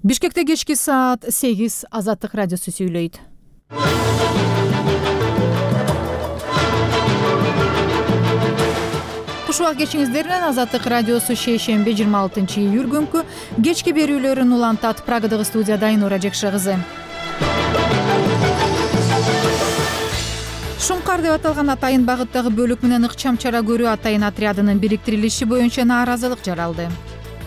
Бишкекте кечки саат 8 Азаттык радиосу сүйлөйт. Кушубак кечиңиздер менен Азаттык радиосу шейшемби 26-июль күнкү кечки берүүлөрүн улантат. Прагадагы студияда Айнура Жекше кызы. Шумкар деп аталган Атайын багыттагы бөлүк менен ыкчам чара көрүү Атайын отрядынын бириктирилиши боюнча нааразылык жаралды.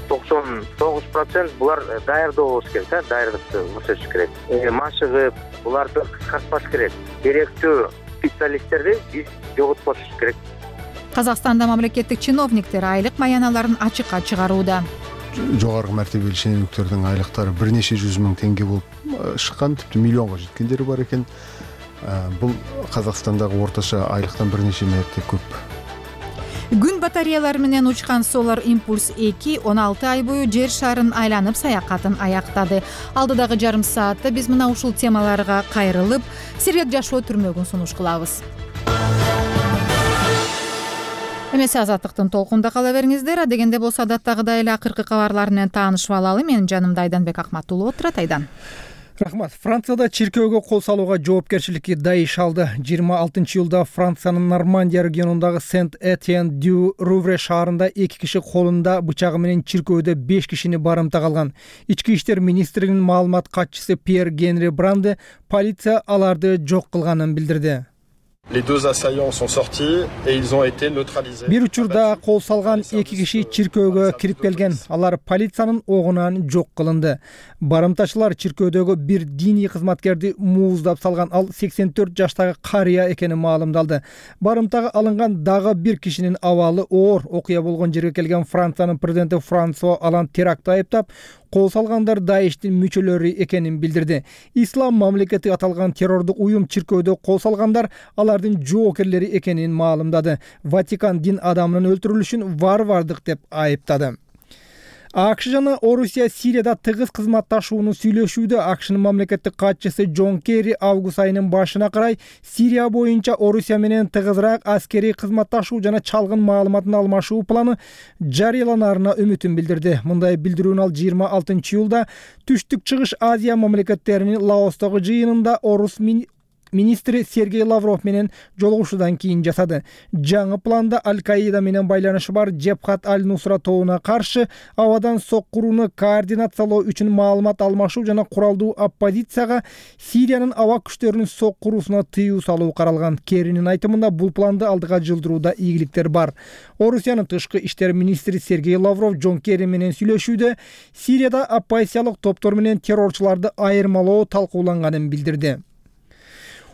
99% булар даярдоо болуш керек, даярдыкты көрсөтүш керек. Машыгып, буларды кыскартпаш керек. Керектүү специалисттерди биз жоготпош керек. Казакстанда мамлекеттик чиновниктер айлык маяналарын ачыкка чыгарууда. Жогорку мартебелүү шенемиктердин айлыктары бир нече 100 миң теңге болуп чыккан, типти миллионго жеткендери бар экен. Бул Казакстандагы орточо айлыктан бир нече мерте көп. Күн батареялары менен учкан Solar Impulse 2 16 ай бою жер шарын айланып саякатын аяктады. Алдыдагы жарым саатта биз мына ушул темаларга кайрылып, сирет жашоо түрмөгүн сунуш кылабыз. Эмесе Азаттыктын толкунда кала бериңиздер. Дегенде болсо адаттагыдай эле акыркы кабарлар менен таанышып алалы. Менин жанымда Айданбек Акматуллу отурат. Айдан. Рахмат. Францияда чиркөөгө кол салууга жоопкерчиликти Даиш алды. 26-июлда Франциянын Нормандия регионундагы Сент-Этьен-дю-Рувре шаарында 2 киши колунда бычагы менен чиркөөдө 5 кишини барымтак алган. Ички иштер министринин маалымат катчысы Пьер Генри Бранде полиция аларды жок кылганын билдирди. Les deux assaillants sont sortis et ils ont été neutralisés. Бир учурда кол салган 2 киши чиркөөгө кирип келген. Алар полициянын огунан жок кылынды. Барымтачылар чиркөөдөгү бир диний кызматкерди мууздап салган. Ал 84 жаштагы карыя экени маалымдалды. Барымтага алынган дагы бир кишинин абалы оор. Окуя болгон жерге келген Франциянын президенти Франсуа Оланд терактты айыптап, кол салгандар Даиштин мүчөлөрү экенин билдирди. Ислам мамлекети аталган террордук уюм чиркөөдө кол салгандар алардын жоокерлери экенин маалымдады. Ватикан дин адамынын өлтүрүлүшүн варвардык деп айыптады. АКШ жана Орусия Сирияда тыгыз кызматташууну сүйлөшүүдө. АКШнын мамлекеттик катчысы Джон Керри август айынын башына карай Сирия боюнча Орусия менен тыгызыраак аскерий кызматташуу жана чалгын маалыматын алмашуу планы жарыяланарына үмүтүн билдирди. Мындай билдирүүнү ал 26-июлда Түштүк Чыгыш Азия мамлекеттеринин Лаостогу жыйынында Орус министри Сергей Лавров менен жолугушуудан кийин жасады. Жаңы планда Аль-Каида менен байланышы бар Джебхат аль-Нусра тобуна каршы абадан соккурууну координациялоо үчүн маалымат алмашуу жана куралдуу оппозицияга Сириянын аба күчтөрүнүн соккуруусуна тыюу салуу каралган. Керинин айтымында бул планды алдыга жылдырууда ийгиликтер бар. Орусиянын тышкы иштер министри Сергей Лавров Джон Керри менен сүйлөшүүдө Сирияда оппозициялык топтор менен террорчуларды айырмалоо талкууланганын билдирди.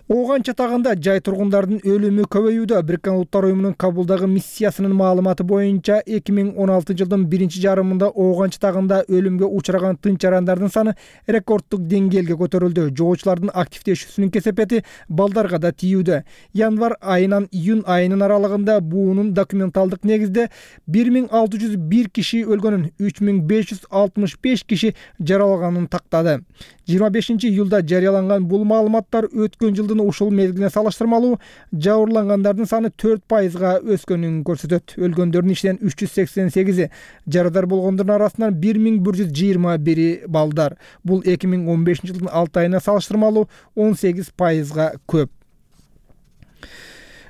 Ооган чатагында жай тургундардын өлүмү көбөйүүдө. Бириккен Улуттар уюмунун Кабулдагы миссиясынын маалыматы боюнча 2016-жылдын биринчи жарымында Ооган чатагында өлүмгө учураган тынч жарандардын саны рекорддук деңгээлге көтөрүлдү. Жоочулардын активдешүүсүнүн кесепети балдарга да тийүүдө. Январь айынан июнь айынын аралыгында буунун документалдык негизде 1601 киши өлгөнүн, 3565 киши жараланганын тактады. 25-июлда жарыяланган бул маалыматтар өткөн жылдын ушул мезгилине салыштырмалуу жабырлангандардын саны 4%га өскөнүн көрсөтөт. Өлгөндөрдүн ичинен 388 жарадар болгондордун арасынан 1121 балдар. Бул 2015-жылдын 6 айына салыштырмалуу 18%га көп.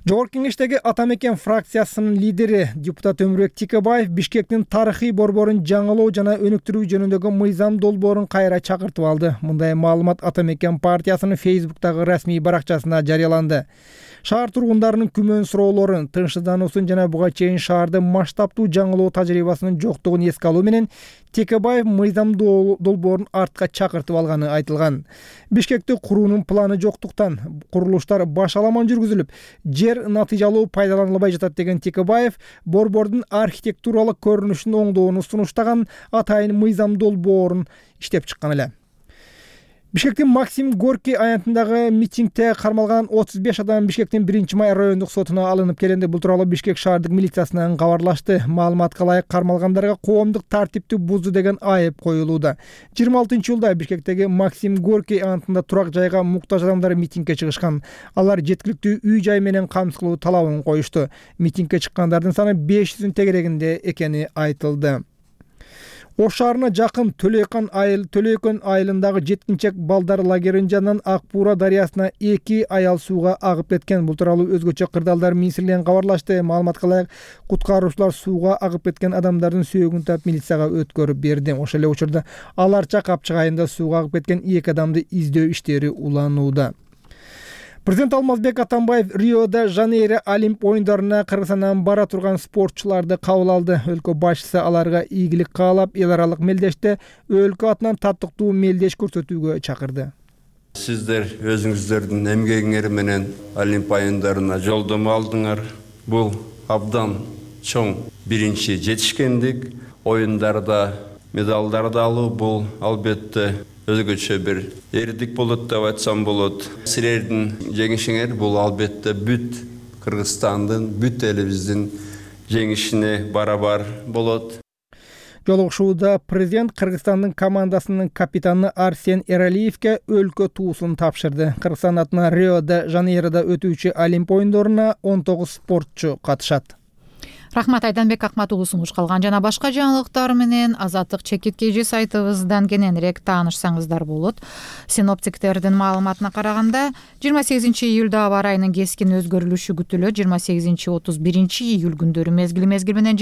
Жогорку кеңештеги Ата Мекен фракциясынын лидери депутат Өмүрбек Текебаев Бишкектин тарыхый борборун жаңылоо жана өнүктүрүү жөнүндөгү мыйзам долбоорун кайра чакыртып алды. Мындай маалымат Ата Мекен партиясынын Facebook'тагы расмий баракчасында жарыяланды. Шаар тургундарынын күмөн суроолорун, тынчсыздануусун жана буга чейин шаарды масштабтуу жаңылоо тажрыйбасынын жоктугун эске алуу менен Текебаев мыйзам долбоорун артка чакыртып алганы айтылган. Бишкекти куруунун планы жоктуктан курулуштар башаламан жүргүзүлүп, жер натыйжалуу пайдаланылбай жатат деген Текебаев борбордун архитектуралык көрүнүшүн оңдоону сунуштаган атайын мыйзам долбоорун иштеп чыккан эле. Бишкектин Максим Горький аянтындагы митингде кармалган 35 адам Бишкектин 1-май райондук сотуна алынып келинди. Бул тууралуу Бишкек шаардык милициясынан кабарлашты. Маалыматка ылайык кармалгандарга коомдук тартипти бузду деген айып коюлууда. 26-июлда Бишкектеги Максим Горький аянтында турак жайга муктаж адамдар митингге чыгышкан. Алар жеткиликтүү үй жай менен камсыздоо талабын коюшту. Митингге чыккандардын саны 500 тегерегинде экени айтылды. Ош шаарына жакын Төлөйкөн айылындагы жеткинчек балдар лагеринин жанынан Ак Буура дарыясына 2 аял сууга агып кеткен. Бул тууралуу өзгөчө кырдаалдар министрлигинен кабарлашты. Маалыматка ылайык, куткаруучулар сууга агып кеткен адамдардын сөөгүн таап милицияга өткөрүп берди. Ошол эле учурда Аларча Капчык айылында сууга агып кеткен 2 адамды издөө иштери уланууда. Президент Алмазбек Атамбаев Рио-де-Жанейро Олимп оюндарына Кыргызстандан бара турган спортчуларды кабыл алды. Өлкө башчысы аларга ийгилик каалап, эл аралык мелдеште өлкө атынан татыктуу мелдеш көрсөтүүгө чакырды. Сиздер өзүңүздөрдүн эмгегиңер менен Олимп оюндарына жолдомо алдыңар. Бул абдан чоң биринчи жетишкендик. Оюндарда медалдарды алуу бул албетте өзгөчө бир эрдик болот деп айтсам болот. Силердин жеңишиңер бул албетте бүт Кыргызстандын, бүт элибиздин жеңишине барабар болот. Жолугушууда президент Кыргызстандын командасынын капитаны Арсен Эралиевке өлкө туусун тапшырды. Кыргызстан атынан Рио-де-Жанейрода өтүүчү Олимп оюндоруна 19 спортчу катышат. Рахмат, Айданбек Акмат уулу сунуш калган жана башка жаңылыктар менен Азаттык чекиткейжи сайтыбыздан кененирээк таанышсаңыздар болот. Синоптиктердин маалыматына караганда 28-июлда аба ырайынын кескин өзгөрүлүшү күтүлөт. 28-31 күндөрү мезгил менен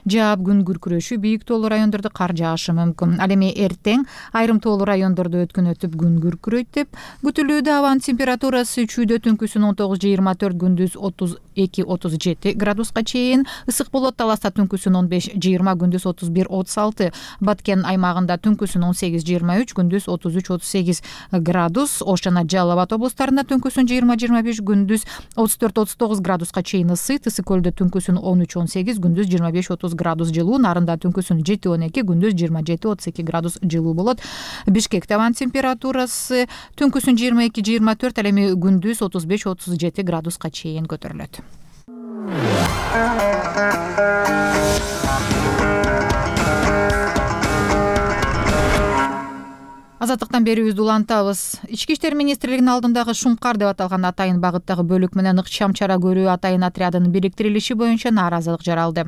жаап күн күркүрөшү, бийик тоолуу райондордо кар жаашы мүмкүн. Ал эми эртең айрым тоолуу райондордо өткүнөтүп күн күркүрөйт деп күтүлүүдө. Абанын температурасы чүйдө түнкүсүн 19-24, күндүз 32-37 градуска чейин ысык болот. Таласта түнкүсүн 15-20, күндүз 31-36. Баткен аймагында түнкүсүн 18-23, күндүз 33-38 градус. Ош жана Жалал Абад облустарында түнкүсүн 20-25, күндүз 34-39 градуска чейин ысыйт. Ысык көлдө түнкүсүн 13-18, күндүз 25-30 градус жылуу. Нарында түнкүсүн 7-12, күндүз 27-32 градус жылуу болот. Бишкекте абанын температурасы түнкүсүн 22-24, ал эми күндүз 35-37 градуска чейин көтөрүлөт. Азаттыктан берүүбүздү улантабыз. Ички иштер министрлигинин алдындагы Шумкар деп аталган Атайын багыттагы бөлүк менен ыкчам чара көрүү Атайын отрядынын бириктирилиши боюнча нааразылык жаралды.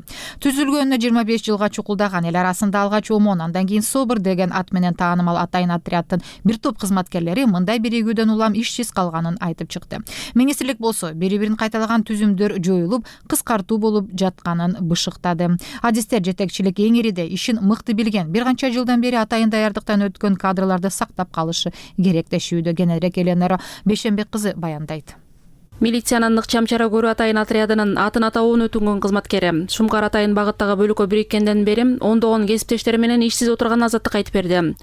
Түзүлгөнүнө 25 жылга чукулдаган, эл арасында алгач ОМОН, андан кийин СОБР деген ат менен таанымал Атайын отряддын бир топ кызматкерлери мындай биригүүдөн улам ишсиз калганын айтып чыкты. Министрлик болсо бири-бирин кайталаган түзүмдөр жоюлуп, кыскартуу болуп жатканын бышыктады. Адистер жетекчилик эңириде ишин мыкты билген, бир канча жылдан бери Атайын даярдыктан өткөн кадрлар сактап калышы керек дешүүдө. Кененирээк Эленара Бейшенбек кызы баяндайт. Милициянын ыкчам чара көрүү Атайын отрядынын атын атауын өтүнгөн кызматкери Шумкар Атайын багыттагы бөлүккө бириккенден бери ондогон кесиптештери менен ишсиз отурган Азаттык айтып берди.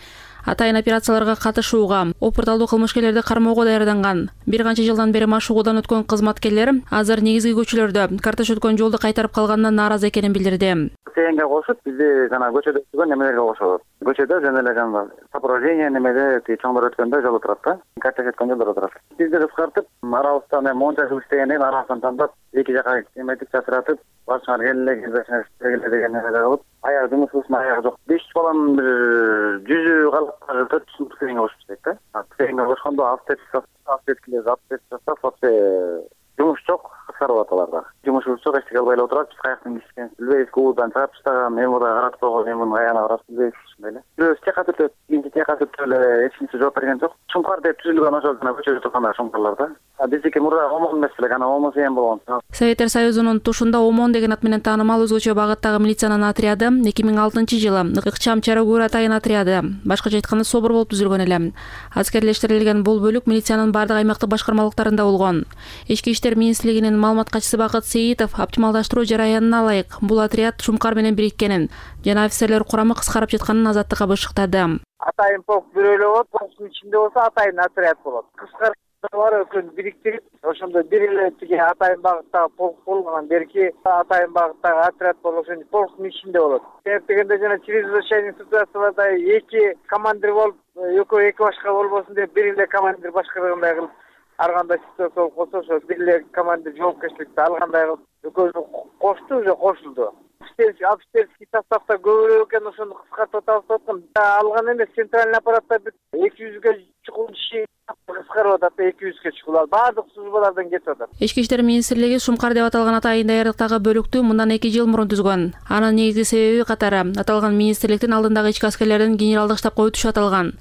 Атайын операцияларга катышууга, опурталдуу кылмышкерлерди кармоого даярданган бир канча жылдан бери машыгуудан өткөн кызматкерлер азыр негизги көчөлөрдө картош өткөн жолду кайтарып калганына нааразы экенин билдирди. Тегенге кошуп, бизди жана көчөдө өткөн немелерге кошобуз. Көчөдө жана эле жана сопровождение немеде чоңдор өткөндө жол турат да, картош өткөн жолдор турат. Бизди кыскартып, арабыздан монча жыл иштегенден арабыздан тандап, эки жака эметип чатыратып, башыңар келеле деген нерсе кылып, аяк жумушубуздун аягы жок. 5 баланын бир жүзү калып 4 тегенге кошуп дейт да. Тегенге кошкондо автоеткилер вообще жумуш жок, кыскарып аталарда. Жумушубуз жок, эчтеке албай эле отурат. Биз каяктан кишкен билбейбиз, куудан чыгып таштаган, мен мында каратып койгон, мен муну каяна карап билбейбиз ушундай эле. Бирөөбүз тек катып, биринчи тек катып эле эч кимсе жооп берген жок. Шумкар деп түзүлгөн ошол жана көчөдө турган шумкарлар да. Биздики мурда ОМОН эмес эле, аны ОМОН сыйын болгон. Советтер Союзунун тушунда ОМОН деген ат менен таанымал өзгөчө багыттагы милициянын отряды 2006-жылы ыкчам чара көрүү Атайын отряды, башкача айтканда СОБР болуп түзүлгөн эле. Аскерлештирилген бул бөлүк милициянын бардык аймактык башкармалыктарында болгон. Ички иштер министрлигинин маалымат катчысы Бакыт Сейитов оптималдаштыруу жараянына ылайык бул отряд Шумкар менен бириккенин жана офицерлер курамы кыскарып жатканын Азаттыкка бышыктады. Атайын полк бирөөлө болот, полктун ичинде болсо Атайын отряд болот. Кыскартуулар өкүн бириктирип, ошондо бир эле тиги Атайын багыттагы полк болгон, берки Атайын багыттагы отряд болот, ошондо полктун ичинде болот. Себеп дегенде жана чрезвычайный ситуацияларда эки командир болуп, экөө эки башка болбосун деп бир эле командир башкаргандай кылып, ар кандай ситуация болуп калса, ошо бир эле командир жоопкерчиликти алгандай кылып, экөөсү кошту, уже кошулду. Офицерский составда көбүрөөк экен, ошону кыскартып атабыз деп аткан. Алган эмес, центральный аппаратта 200ге чукул киши кыскартып кыскарып атат да 200-ге чыккыла. Баардык службалардан кетип атат. Ички иштер министрлиги Шумкар деп аталган атайын даярдыктагы бөлүктү мындан 2 жыл мурун түзгөн. Анын негизги себеби катары аталган министрликтин алдындагы ички аскерлердин генералдык штабка өтүшү аталган.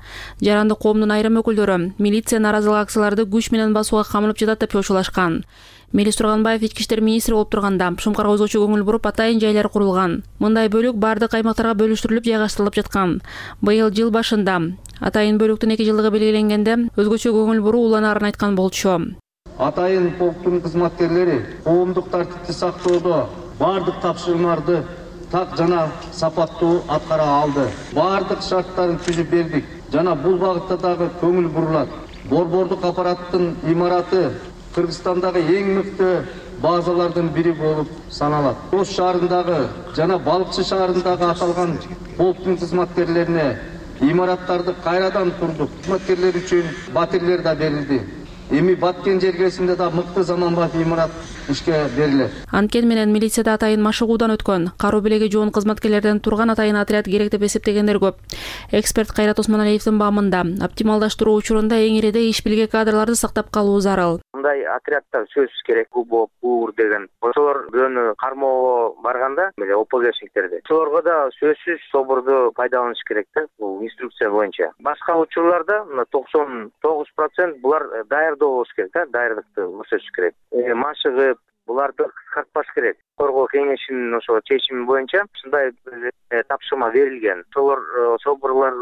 Жарандык коомдун айрым өкүлдөрү милиция нааразылык акцияларды күч менен басууга камынып жатат деп чочулашкан. Мелис Турганбаев ички иштер министри болуп турганда Шумкарга өзгөчө көңүл буруп атайын жайлар курулган. Мындай бөлүк бардык аймактарга бөлүштүрүлүп жайгаштырылып жаткан. Быйыл жыл башында атайын бөлүктүн 2 жылдыгы белгиленгенде өзгөчө көңүл буруу уланарын айткан болчу. Атайын полктун кызматкерлери коомдук тартипти сактоодо бардык тапшырмаларды так жана сапаттуу аткара алды. Бардык шарттарын түзүп бердик жана бул багытта дагы көңүл бурулат. Борбордук аппараттын имараты Кыргызстандагы эң мыкты базалардын бири болуп саналат. Ош шаарындагы жана Балыкчы шаарындагы аталган полктун кызматкерлерине имараттарды кайрадан курдук. Кызматкерлер үчүн батирлер да берилди. Эми Баткен жергесинде да мыкты заманбап имарат ишке берилет. Анткени менен милицияда атайын машыгуудан өткөн, каруу белеги жоон кызматкерлерден турган атайын отряд керек деп эсептегендер көп. Эксперт Кайрат Осмоналиевдин баамында оптималдаштыруу учурунда эң ириде иш билге кадрларды сактап калуу зарыл. Мындай отряддар сөзсүз керек. УБОП деген. Ошолор бирөөнү кармоого барганда, ОПГшниктерди. Ошолорго да сөзсүз соборду пайдаланыш керек да, бул инструкция боюнча. Башка учурларда 99% булар даярдоо болуш керек да, даярдыкты көрсөтүш керек. Машыгып, буларды кыскартпаш керек. Коргоо кеңешинин ошо чечими боюнча ушундай тапшырма берилген. Ошолор соборлар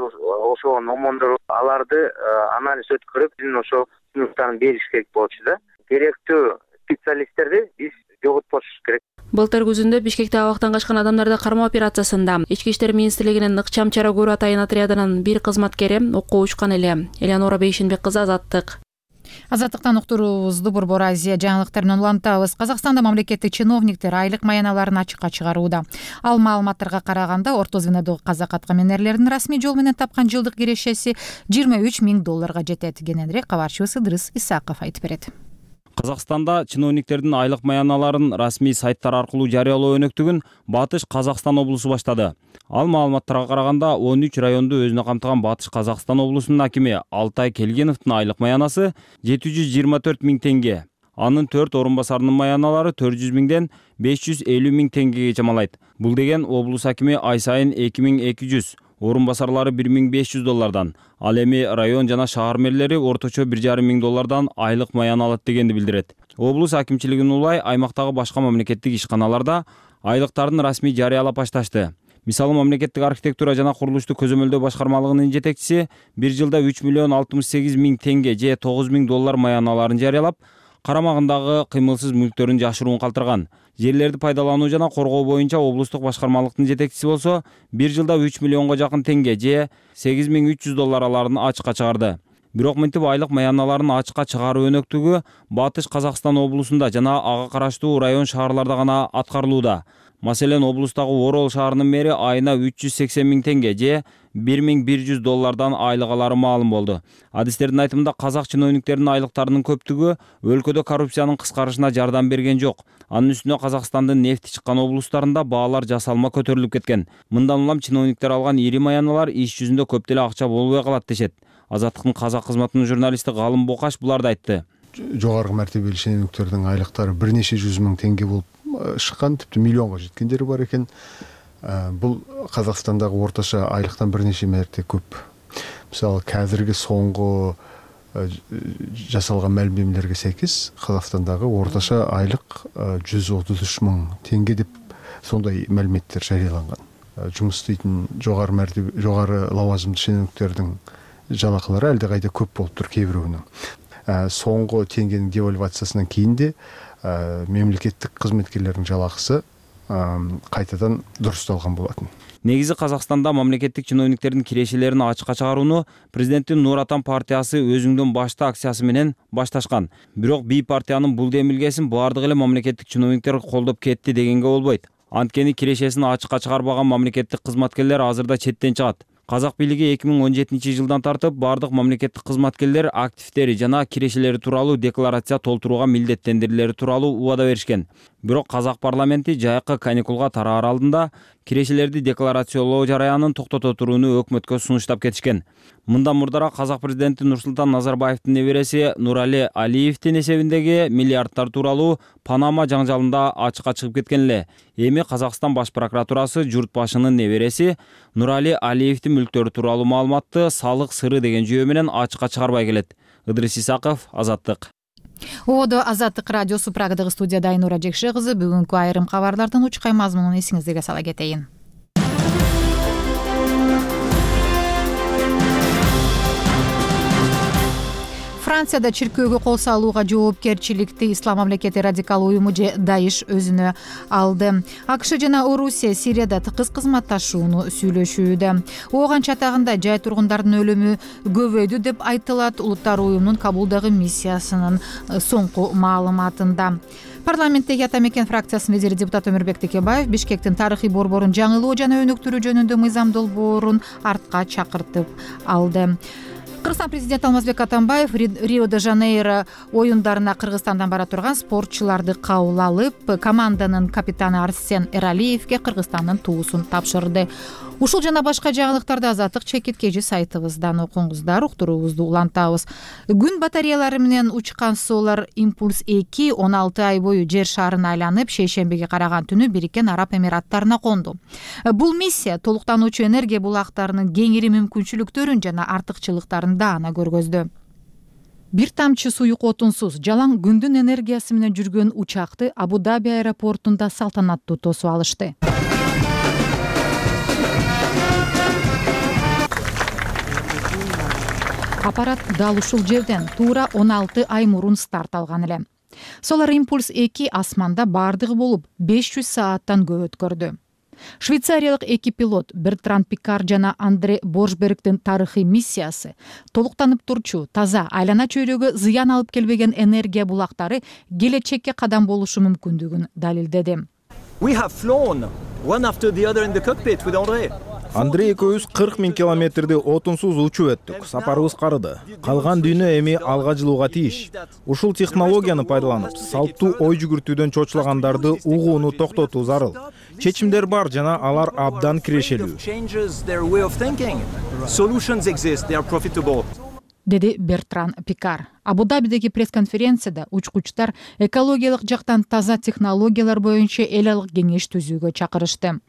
ошого омондоруп, аларды анализ өткөрүп, ошо сунуктарын бериш керек болчу да. Керектүү специалисттерди биз жоготпош керек. Былтыр күзүндө Бишкекте абактан качкан адамдарды кармоо операциясында Ички иштер министрлигинин Ыкчам чара көрүү атайын отрядынын бир кызматкери окко учкан эле. Элеонора Бейшенбек кызы, Азаттык. Азаттыктан уктуруубузду Борбор Азия жаңылыктары менен улантабыз. Казакстанда мамлекеттик чиновниктер айлык маяналарын ачыкка чыгарууда. Ал маалыматтарга караганда орто звенодогу казак аткамин эрлеринин расмий жол менен тапкан жылдык кирешеси $23,000 жетет. Кененирээк кабарчыбыз Ыдырыс Исаков айтып берет. Казакстанда чиновниктердин айлык маяналарын расмий сайттар аркылуу жарыялоо өнөктүгүн Батыш Казакстан облусу баштады. Ал маалыматтарга караганда 13 районду өзүнө камтыган Батыш Казакстан облусунун акими Алтай Келгеновдун айлык маянасы 724 000 теңге. Анын 4 орун басарынын маяналары 400 000ден 550 000 теңгеге чамалайт. Бул деген облус акими ай сайын 2200, орун басарлары $1,500, ал эми район жана шаар мэрлери орточо $1,500 айлык маяна алат дегенди билдирет. Облус акимчилигинин улай аймактагы башка мамлекеттик ишканаларда айлыктардын расмий жарыялап башташты. Мисалы, мамлекеттик архитектура жана курулушту көзөмөлдөө башкармалыгынын жетекчиси бир жылда $3,68,000 теңге же $9,000 маяналарын жарыялап, карамагындагы кыймылсыз мүлктөрүн жашыруун калтырган. Жерлерди пайдалануу жана коргоо боюнча облустук башкармалыктын жетекчиси болсо, бир жылда $3 миллионго жакын теңге же $8,300 аларын ачыкка чыгарды. Бирок мынтип айлык маяналарын ачыкка чыгаруу өнөктүгү Батыш Казакстан облусунда жана ага караштуу район шаарларда гана аткарылууда. Маселен, облустагы Орол шаарынын мэри айына $380 000 теңге же $1,100 айлык алары маалым болду. Адистердин айтымында казак чиновниктеринин айлыктарынын көптүгү өлкөдө коррупциянын кыскарышына жардам берген жок. Анын үстүнө Казакстандын нефти чыккан облустарында баалар жасалма көтөрүлүп кеткен. Мындан улам чиновниктер алган ири маяналар иш жүзүндө көп деле акча болбой калат дешет. Азаттыктын казак кызматынын журналисти Галым Бокаш буларды айтты. Жогорку мартебелүү шенеунүктөрдүн айлыктары бир нече жүз миң теңге болуп шыккан, типти миллионго жеткендери бар экен. Бул Казакстандагы орточо айлыктан бир нече мерте көп. Мисалы, қазіргі соңғы жасалған мәлімдемелерге сәйкес Қазақстандагы орташа айлык 133 000 теңге деп сондай мәліметтер жарыяланган. Жұмыс істейтін жоғары лауазымды шенеуніктердің жалақылары әлде қайда көп болып тұр кейбіреуінің. Соңғы теңгенің девальвациясынан кейін де мемлекеттік қызметкерлердің жалақысы кайтадан дұрысталған болатын. Негизи Казакстанда мамлекеттик чиновниктердин кирешелерин ачыкка чыгарууну президенттин Нур Атан партиясы өзүңдөн башта акциясы менен башташкан. Бирок бий партиянын бул демилгесин баардык эле мамлекеттик чиновниктер колдоп кетти дегенге болбойт. Анткени кирешесин ачыкка чыгарбаган мамлекеттик кызматкерлер азырда четтен чыгат. Казак бийлиги 2017 жылдан тартып бардык мамлекеттик кызматкерлер активдери жана кирешелери тууралуу декларация толтурууга милдеттендирилери тууралуу убада беришкен. Бирок казак парламенти жайкы каникулга тараар алдында кирешелерди декларациялоо жараянын токтото турууну өкмөткө сунуштап кетишкен. Мындан мурдараак казак президенти Нурсултан Назарбаевдин небереси Нурали Алиевдин эсебиндеги миллиарддар тууралуу Панама жаңжалында ачыкка чыгып кеткен эле. Эми Казакстан баш прокуратурасы журт башынын небереси Нурали Алиевдин мүлктөрү тууралуу маалыматты салык сыры деген жүйө менен ачыкка чыгарбай келет. Ыдрис Исаков, Азаттык. Одо Азаттык радиосу Прагадагы студияда Айнура Жекше кызы. Бүгүнкү айрым кабарлардын учкай мазмунун эсиңиздерге сала кетейин. Францияда чиркөөгө кол салууга жоопкерчиликти Ислам мамлекети радикал уюму же Даиш өзүнө алды. АКШ жана Орусия Сирияда тыкыз кызматташууну сүйлөшүүдө. Ооган чатагында жай тургундардын өлүмү көбөйдү деп айтылат улуттар уюмунун Кабулдагы миссиясынын соңку маалыматында. Парламенттеги Ата мекен фракциясынын лидери депутат Өмүрбек Текебаев Бишкектин тарыхый борборун жаңылоо жана өнүктүрүү жөнүндө мыйзам долбоорун артка чакыртып алды. Кыргызстан президенти Алмазбек Атамбаев Рио-де-Жанейро оюндарына Кыргызстандан бара турган спортчуларды кабыл алып, команданын капитаны Арсен Эралиевге Кыргызстандын туусун тапшырды. Ушул жана башка жаңылыктарды Азаттык чекит кежи сайтыбыздан окуңуздар, уктуруубузду улантабыз. Күн батареялары менен учкан Solar Impulse 2 16 ай бою жер шарын айланып, шейшембиге караган түнү Бириккен Араб Эмираттарына конду. Бул миссия толуктануучу энергия булактарынын кеңири мүмкүнчүлүктөрүн жана артыкчылыктарын даана көргөздү. Бир тамчы суюк отунсуз жалаң күндүн энергиясы менен жүргөн учакты Абу-Даби аэропортунда салтанаттуу тосуп алышты. Аппарат дал ушул жерден туура 16 ай мурун старт алган эле. Solar Impulse 2 асманда бардыгы болуп 500 сааттан көп өткөрдү. Швейцариялык эки пилот Бертранд Пикар жана Андре Боршбергдин тарыхый миссиясы толуктанып турчу, таза, айлана чөйрөгө зыян алып келбеген энергия булактары келечекке кадам болушу мүмкүндүгүн далилдеди. Андрей экөөбүз 40 000 километрди отунсуз учуп өттүк. Сапарыбыз карыды. Калган дүйнө эми алга жылууга тийиш. Ушул технологияны пайдаланып, салттуу ой жүгүртүүдөн чочулагандарды угууну токтотуу зарыл. Чечимдер бар жана алар абдан кирешелүү. Деди Бертран Пикар. Абу-Дабидеги пресс-конференцияда учкучтар экологиялык жактан таза технологиялар боюнча эл алык кеңеш түзүүгө чакырышты.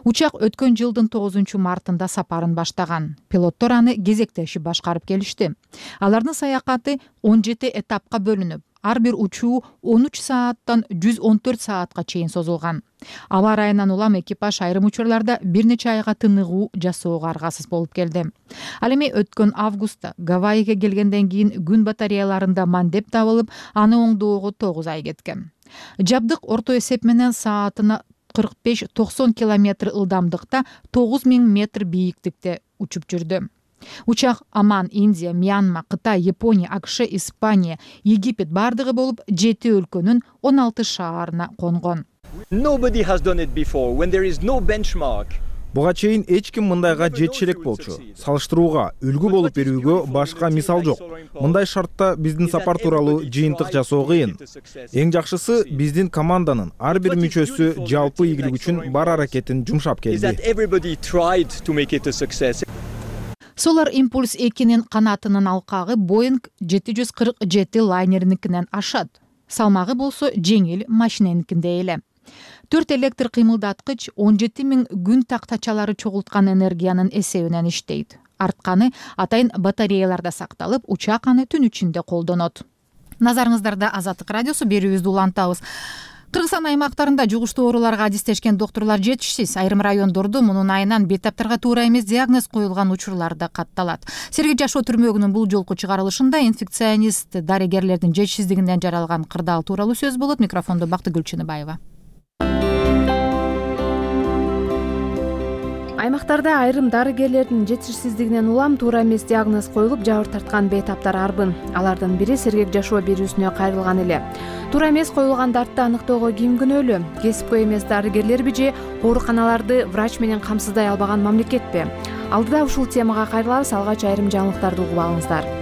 Учак өткөн жылдын 9 мартында сапарын баштаган. Пилоттор аны кезектешип башкарып келишти. Алардын саякаты 17 этапка бөлүнүп, ар бир учуу 13 сааттан 114 саатка чейин созулган. Аба ырайынан улам экипаж айрым учурларда бир нече айга тыныгуу жасоого аргасыз болуп келди. Ал эми өткөн августта Гавайиге келгенден кийин күн батареяларында мандеп табылып, аны оңдоого 9 ай кеткен. Жабдык орто эсеп менен саатына 45-90 километр ылдамдыкта 9000 метр бийиктикте учуп жүрдү. Учак Оман, Индия, Мьянма, Кытай, Япония, АКШ, Испания, Египет бардыгы болуп 7 өлкөнүн 16 шаарына конгон. Буга чейин эч ким мындайга жетише элек болчу. Салыштырууга, үлгү болуп берүүгө башка мисал жок. Мындай шартта биздин сапар тууралуу жыйынтык жасоо кыйын. Эң жакшысы биздин команданын ар бир мүчөсү жалпы ийгилик үчүн бар аракетин жумшап келди. Solar Impulse 2-нин канатынын алкагы Boeing 747 лайнеринкинен ашат. Салмагы болсо жеңил машиненикиндей эле. 4 электр кыймылдаткыч 17 000 күн тактачалары чогулткан энергиянын эсебинен иштейт. Артканы атайын батареяларда сакталып, учак аны түн ичинде колдонот. Назарыңыздарда Азаттык радиосу, берүүбүздү улантабыз. Кыргызстан аймактарында жугуштуу ооруларга адистешкен доктурлар жетишсиз. Айрым райондордо мунун айынан бейтаптарга туура эмес диагноз коюлган учурлар да катталат. Сергей Жашоо түрмөгүнүн бул жолку чыгарылышында инфекционист дарыгерлердин жетишсиздигинен жаралган кырдаал тууралуу сөз болот. Микрофондо Бактыгүл Чыныбаева. Аймактарда айрым дарыгерлердин жетишсиздигинен улам туура эмес диагноз коюлуп, жабыр тарткан бейтаптар арбын. Алардын бири Сергек Жашоо берүүсүнө кайрылган эле. Туура эмес коюлган дартты аныктоого ким күнөөлүү? Кесипкөй эмес дарыгерлерби же ооруканаларды врач менен камсыздай албаган мамлекетпи? Алдыда ушул темага кайрылабыз, алгач айрым жаңылыктарды угуп алыңыздар.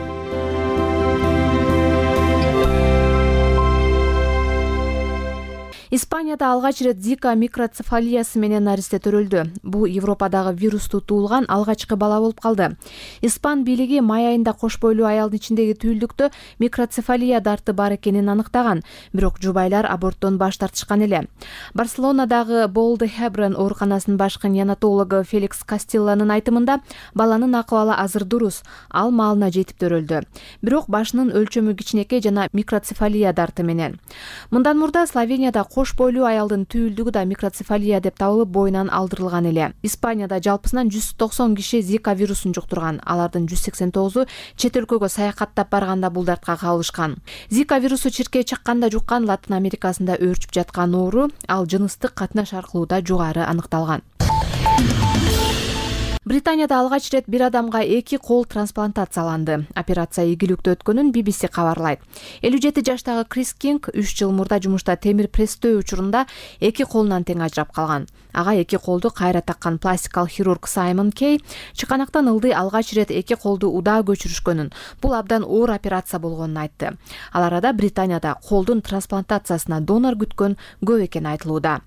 Испанияда алгач ирет Зика микроцефалиясы менен наристе төрөлдү. Бул Европадагы вирусту туулган алгачкы бала болуп калды. Испан бийлиги май айында кош бойлуу аялдын ичиндеги түйүлдүктө микроцефалия дарты бар экенин аныктаган, бирок жубайлар аборттон баш тартышкан эле. Барселонадагы Болдехебрен ооруканасынын башкы неонатологу Феликс Кастилланын айтымында баланын акыбалы азыр дурус, ал маалына жетип төрөлдү. Бирок башынын өлчөмү кичинекей жана микроцефалия дарты менен. Мындан мурда Словенияда кош бойлуу аялдын түйүлдүгү да микроцефалия деп табылып боюнан алдырылган эле. Испанияда жалпысынан 190 киши Зика вирусун жуктурган. Алардын 189-у чет өлкөгө саякаттап барганда бул дартка кабылышкан. Зика вирусу чиркей чакканда жуккан Латын Америкасында өөрчүп жаткан оору, ал жыныстык катнаш аркылуу да жугары аныкталган. Британияда алгач ирет бир адамга 2 кол трансплантацияланды. Операция ийгиликтүү өткөнүн BBC кабарлайт. 57 жаштагы Крис Кинг 3 жыл мурда жумушта темир пресстөө учурунда 2 колунан тең ажырап калган. Ага 2 колду кайра таккан пластикалык хирург Саймон Кей чыканактан ылдый алгач ирет 2 колду удаа көчүрүшкөнүн, бул абдан оор операция болгонун айтты. Ал арада Британияда колдун трансплантациясына донор күткөн көп экени айтылууда.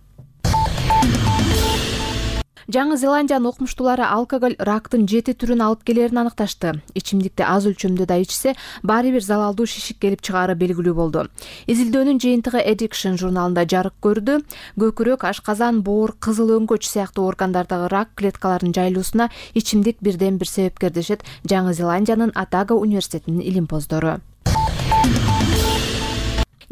Жаңы Зеландиянын окумуштуулары алкоголь рактын 7 түрүн алып келерин аныкташты. Ичимдикти аз өлчөмдө да ичсе, баары бир залалдуу шишик келип чыгаары белгилүү болду. Изилдөөнүн жыйынтыгы Addiction журналында жарык көрдү. Көкүрөк, ашказан, боор, кызыл өңкөч сыяктуу органдардагы рак клеткаларынын жайылуусуна ичимдик бирден бир себепкер дешет Жаңы Зеландиянын Атага университетинин илимпоздору.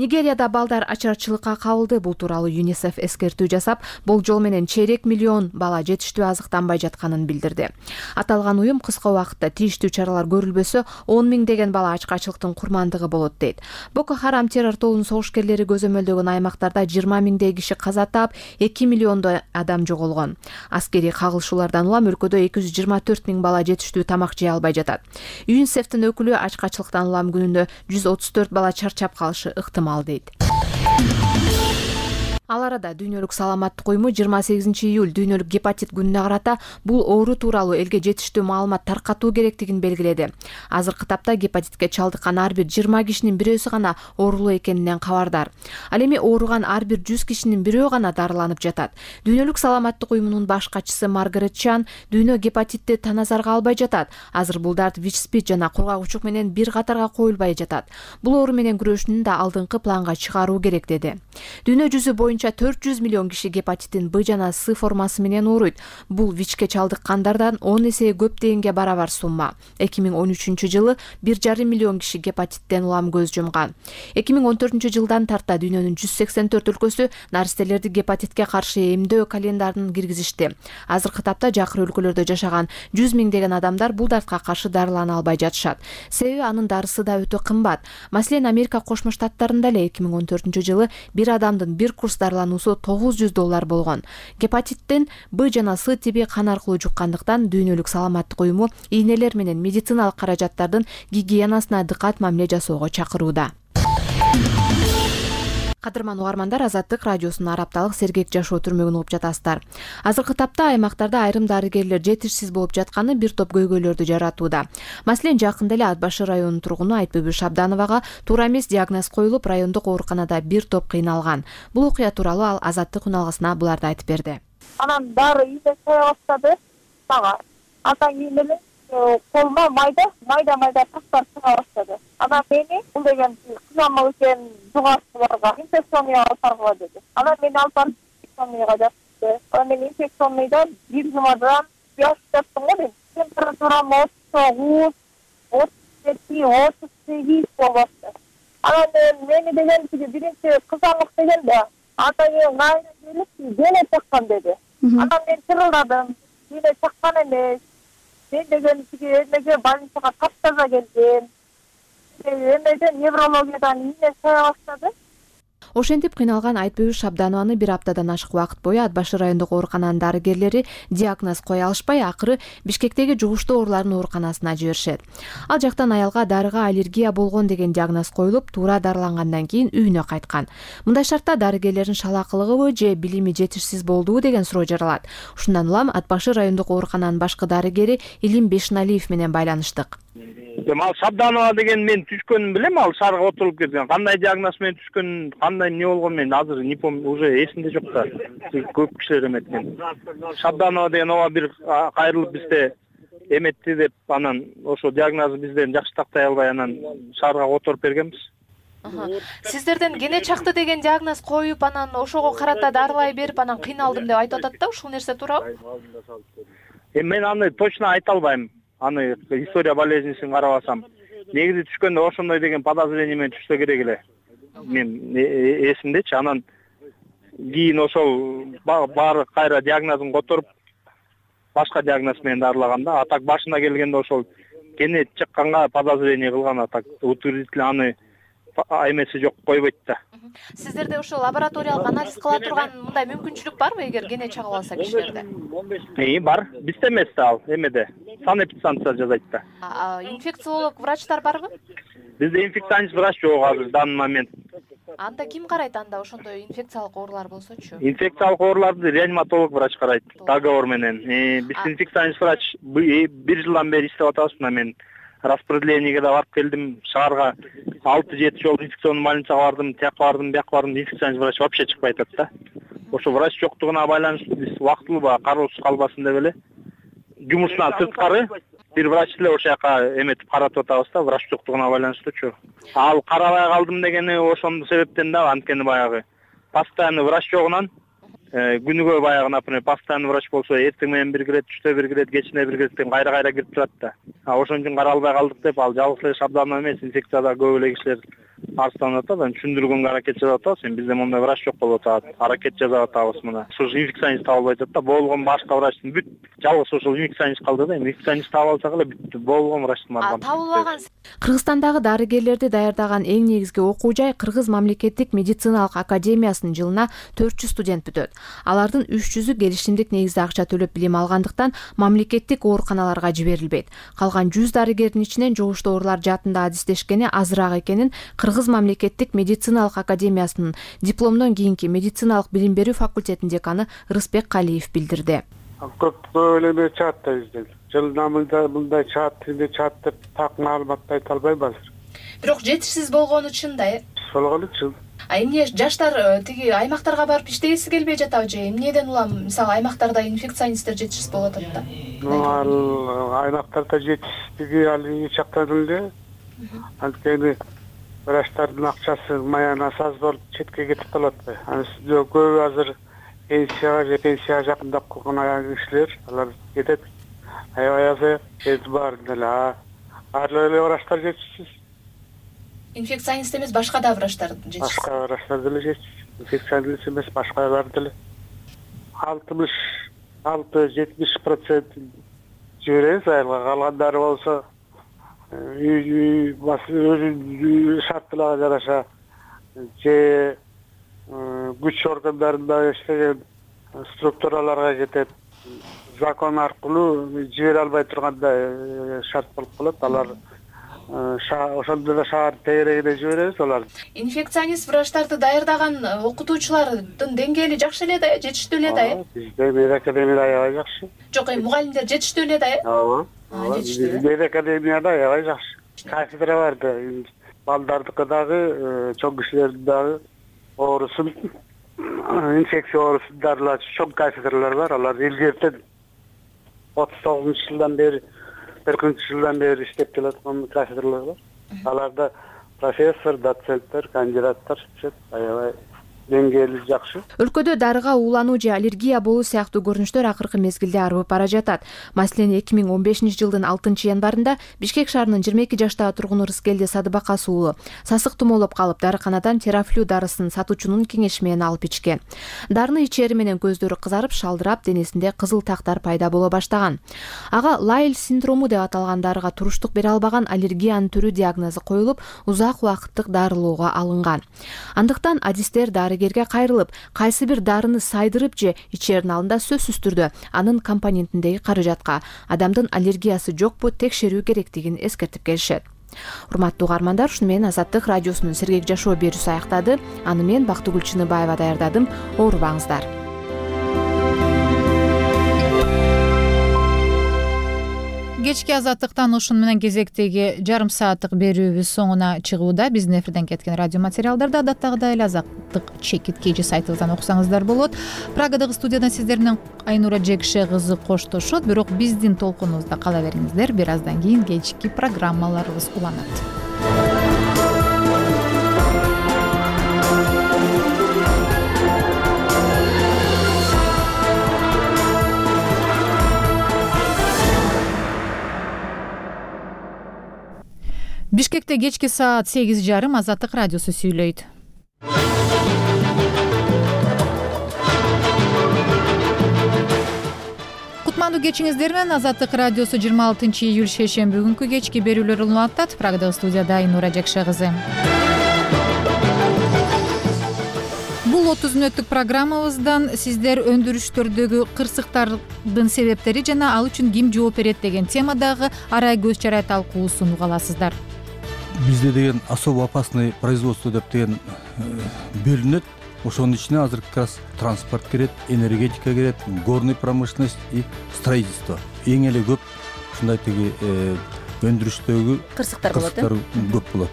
Нигерияда балдар ачарчылыкка кабылды. Бул тууралуу ЮНИСЕФ эскертүү жасап, болжол менен чейрек миллион бала жетиштүү азыктанбай жатканын билдирди. Аталган уюм кыска убакытта тийиштүү чаралар көрүлбөсө, 10 миңдеген бала ачкачылыктын курмандыгы болот дейт. Боко Харам террор тобунун согушкерлери көзөмөлдөгөн аймактарда 20 миңдей киши каза таап, 2 миллиондой адам жоголгон. Аскерий кагылышуулардан улам өлкөдө 224 миң бала жетиштүү тамак жей албай жатат. ЮНИСЕФтин өкүлү ачкачылыктан улам күнүнө 134 бала чарчап калышы ыктымал дейт. Ал арада Дүйнөлүк саламаттык уюму 28 июль дүйнөлүк гепатит күнүнө карата бул оору тууралуу элге жетиштүү маалымат таркатуу керектигин белгиледи. Азыркы тапта гепатитке чалдыккан ар бир 20 кишинин бирөөсү гана оорулуу экенинен кабардар. Ал эми ооруган ар бир 100 кишинин бирөө гана дарыланып жатат. Дүйнөлүк саламаттык уюмунун баш катчысы Маргарет Чан дүйнө гепатитти таназарга албай жатат. Азыр бул дарт ВИЧ-СПИД жана кургак менен бир катарга коюлбай жатат. Бул оору менен күрөшүүнү да алдыңкы планга чыгаруу керек деди. Дүйнө жүзү боюнча 400 миллион киши гепатиттин Б жана С формасы менен ооруйт. Бул ВИЧке чалдыккандардан 10 эсе көп дегенге барабар сумма. 2013 жылы 1,5 миллион киши гепатиттен улам көз жумган. 2014 жылдан тарта дүйнөнүн 184 өлкөсү наристелерди гепатитке каршы эмдөө календарын киргизишти. Азыркы тапта жакыр өлкөлөрдө жашаган 100 миңдеген адамдар бул дартка каршы дарылана албай жатышат. Себеби анын дарысы да өтө кымбат. Маселен, Америка Кошмо Штаттарында эле 2014 жылы бир адамдын бир курс дарылануусу $900 болгон. Гепатиттин Б жана С тиби кан аркылуу жуккандыктан Дүйнөлүк саламаттык уюму ийнелер менен медициналык каражаттардын гигиенасына дыккат мамиле жасоого чакырууда. Кадырман угармандар, Азаттык радиосунун ар апталык сергек жашоо түрмөгүн угуп жатасыздар. Азыркы тапта аймактарда айрым дарыгерлер жетишсиз болуп жатканы бир топ көйгөйлөрдү жаратууда. Маселен, жакында эле Ат башы районунун тургуну Айтбүбү Шабдановага туура эмес диагноз коюлуп, райондук ооруканада бир топ кыйналган. Бул окуя тууралуу ал Азаттык үналгысына буларды айтып берди. Анан баары ийде сая баштады мага. Андан кийин эле колума майда таштар чыга баштады. Анан мени бул деген кызамык экен, жугасыларга инфекционныйга алып баргыла деди. Анан мени алып барып инфекционныйга жатты. Анан мен инфекционныйда бир жумадан яштаптым го мен. Температурам 39, 37, 38 болупту. Анан мени деген биринчи кызамык деген да атайын кайра келип дене чаккан деди. Анан мен чырылдадым. Дене чаккан эмес. Мен деген эмеге больницага таптаза келдим. Эмеден неврологиядан ийне сая баштады. Ошентип кыйналган Айтбүбү Шабданованы бир аптадан ашык убакыт бою Ат башы райондук оорукананын дарыгерлери диагноз кое алышпай, акыры Бишкектеги жугуштуу оорулардын ооруканасына жиберишет. Ал жактан аялга дарыга аллергия болгон деген диагноз коюлуп, туура дарылангандан кийин үйүнө кайткан. Мындай шартта дарыгерлердин шалаакылыгыбы же билими жетишсиз болдубу деген суроо жаралат. Ушундан улам Ат башы райондук оорукананын башкы дарыгери Илим Бешналиев менен байланыштык. Ал Шабданова деген мен түшкөнүн билем, ал шаарга отуруп кеткен. Кандай диагноз менен түшкөнүн, кандай эмне болгон мен азыр не помню, уже эсимде жок да. Көп кишилер эметкен. Шабданова деген ооба бир кайрылып бизде эметти деп, анан ошо диагнозу бизден жакшы тактай албай, анан шаарга отуруп бергенбиз. Сиздерден кене чакты деген диагноз коюп, анан ошого карата дарылай берип, анан кыйналдым деп айтып атат да, ушул нерсе туурабы? Мен аны точно айта албайм. Аны история болезнисин карабасам, негизи түшкөндө ошондой деген подозрение менен түшсө керек эле. Мен эсимдечи, анан кийин ошол баары кайра диагнозун которуп, башка диагноз менен дарылаганда, а так башына келгенде ошол кене чыкканга подозрение кылган, а так утвердительно аны эмеси жок койбойт да. Сиздерде ошо лабораториялык анализ кыла турган мындай мүмкүнчүлүк барбы, эгер кене чыгып алса кишилерде? Бар. Бизде эмес да, ал эмеде. Санэпидстанция жазайт да. Инфекциолог врачтар барбы? Бизде инфекционист врач жок азыр, в данный момент. Анда ким карайт анда ошондой инфекциялык оорулар болсочу? Инфекциялык ооруларды реаниматолог врач карайт, договор менен. Биз инфекционист врач 1 жылдан бери иштеп атабыз. Мен распределениеге да барып келдим, шаарга 6-7 жолу инфекционный больницага бардым, тияка бардым, бияка бардым, инфекционист врач вообще чыкпай атат да. Ошо врач жоктугуна байланыштуу биз убактылуу кароосуз калбасын деп эле жумушунан сырткары бир врач эле ошол жака эметип каратып атабыз да, врач жоктугуна байланыштуучу. Ал карабай калдым дегени ошондун себептен да, анткени баягы постоянный врач жогунан күнүгө баягы, например, постоянный врач болсо эртең менен бир кирет, түштө бир кирет, кечинде бир кирет деген кайра кирип турат да. Ошон үчүн кара албай калдык деп, ал жалгыз эле Шабданова эмес, инфекцияда көп эле кишилер арызданып атат, анан түшүндүргөнгө аракет жасап атабыз. Бизде мондай врач жок болуп атат, аракет жасап атабыз мына. Ушул инфекционист табылбай атат да, болгон башка врачтын бүт жалгыз ошол инфекционист калды да. Инфекционист таап алсак эле бүттү, болгон врачтын барган. Табылбаган. Кыргызстандагы дарыгерлерди даярдаган эң негизги окуу жай Кыргыз мамлекеттик медициналык академиясынын жылына 400 студент бүтөт. Алардын 300-ü келишимдик негизде акча төлөп билим алгандыктан мамлекеттик ооруканаларга жиберилбейт. Калган 100 дарыгердин ичинен жугуштуу оорулар жаатында адистешкени азыраак экенин Кыргыз мамлекеттик медициналык академиясынын дипломдон кийинки медициналык билим берүү факультетинин деканы Рысбек Калиев билдирди. Көп эле чаат да бизден. Жылына мындай чаат деп так маалыматты айта албайм азыр. Бирок жетишсиз болгону чын да, болгону чын. Эмне жаштар тиги аймактарга барып иштегиси келбей жатабы же эмнеден улам, мисалы аймактарда инфекционисттер жетишсиз болуп атат да? Ал аймактарда жетишсиздиги ал эч жактан эле. Анткени врачтардын акчасы маянасы аз болуп четке кетип калат. Көбү азыр пенсияга жакындап калган кишилер, алар кетет. Аябай бар деле. Ар эле врачтар жетишсиз. Инфекционист эмес, башка да врачтар жетишсиз. Башка врачтар деле жетишсиз. Инфекционист эмес, башкалар деле 60-70% жиберебиз айылга. Калгандары болсо өзүнүн шарттарына жараша же күч органдарында иштеген структураларга кетет. Закон аркылуу жибере албай турганда шарт болуп калат. Алар ошондо да шаар тегерегине жиберебиз аларды. Инфекционист врачтарды даярдаган окутуучулардын деңгээли жакшы эле да, жетиштүү эле да. Бизде медакадемияда аябай жакшы. Жок, мугалимдер жетиштүү эле да. Ооба. Медакадемияда аябай жакшы. Кафедра бар да. Балдардыкы дагы, чоң кишилердин дагы оорусун, инфекция оорусун дарылаачу чоң кафедралар бар. Алар илгертен 39-жылдан бери, 40-жылдан бери иштеп келаткан кафедралар бар. Аларда профессор, доценттер, кандидаттар иштешет. Аябай деңгээли жакшы. Өлкөдө дарыга уулануу же аллергия болуу сыяктуу көрүнүштөр акыркы мезгилде арбып бара жатат. Маселен, 2015-жылдын 6-январында Бишкек шаарынын 22 жаштагы тургуну Рыскелди Садыбакас уулу сасык тумоолоп калып, дарыканадан терафлю дарысын сатуучунун кеңеши менен алып ичкен. Дарыны ичери менен көздөрү кызарып, шалдырап, денесинде кызыл тактар пайда боло баштаган. Ага Лайль синдрому деп аталган дарыга туруштук бере албаган аллергиянын түрү диагнозу коюлуп, узак убакыттык дарылоого алынган. Андыктан адистер дарыгерге кайрылып, кайсы бир дарыны сайдырып же ичердин алдында сөзсүз түрдө анын компонентиндеги каражатка адамдын аллергиясы жокпу текшерүү керектигин эскертип келишет. Урматтуу угармандар, ушуну менен Азаттык радиосунун сергек жашоо берүүсү аяктады. Аны мен Бактыгүл Чыныбаева даярдадым. Оорубаңыздар. Кечки Азаттыктан ушуну менен кезектеги жарым сааттык берүүбүз соңуна чыгууда. Биздин эфирден кеткен радио материалдарды адаттагыдай эле Азаттык чекит KG сайтыбыздан окусаңыздар болот. Прагадагы студиядан сиздер менен Айнура Жекше кызы коштошот, бирок биздин толкунубузда кала бериңиздер. Бир аздан кийин кечки программаларыбыз уланат. Бишкекте кечки саат 8:30 Азаттык радиосу сүйлөйт. Кутмандуу кечиңиздер менен Азаттык радиосу 26-июль шейшемби күнкү кечки берүүлөр улантат. Прагадагы студияда Айнура Жекше кызы. Бул 30 мүнөттүк программабыздан сиздер өндүрүштөрдөгү кырсыктардын себептери жана ал үчүн ким жооп берет деген темадагы арай көз чарай талкуусун уга аласыздар. Бизде деген особо опасный производство деп деген бөлүнөт. Ошонун ичине азыр как раз транспорт кирет, энергетика кирет, горный промышленность и строительство. Эң эле көп ушундай тиги өндүрүштөгү кырсыктар болот. Көп болот.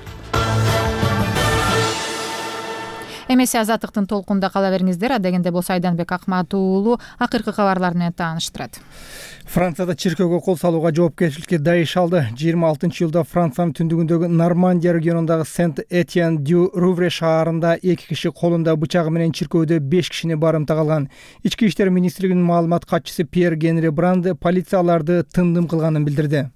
Эмесе Азаттыктын толкунда кала бериңиздер. Адегенде болсо Айданбек Акмат уулу акыркы кабарлар менен тааныштырат. Францияда чиркөөгө кол салууга жоопкерчиликке Даиш алды. 26-июлда Франциянын түндүгүндөгү Нормандия регионундагы Сент-Этьен-дю-Рувре шаарында 2 киши колунда бычагы менен чиркөөдө 5 кишини барымтага алган. Ички иштер министрлигинин маалымат катчысы Пьер Генри Бранд полицияларды тындым кылганын билдирди.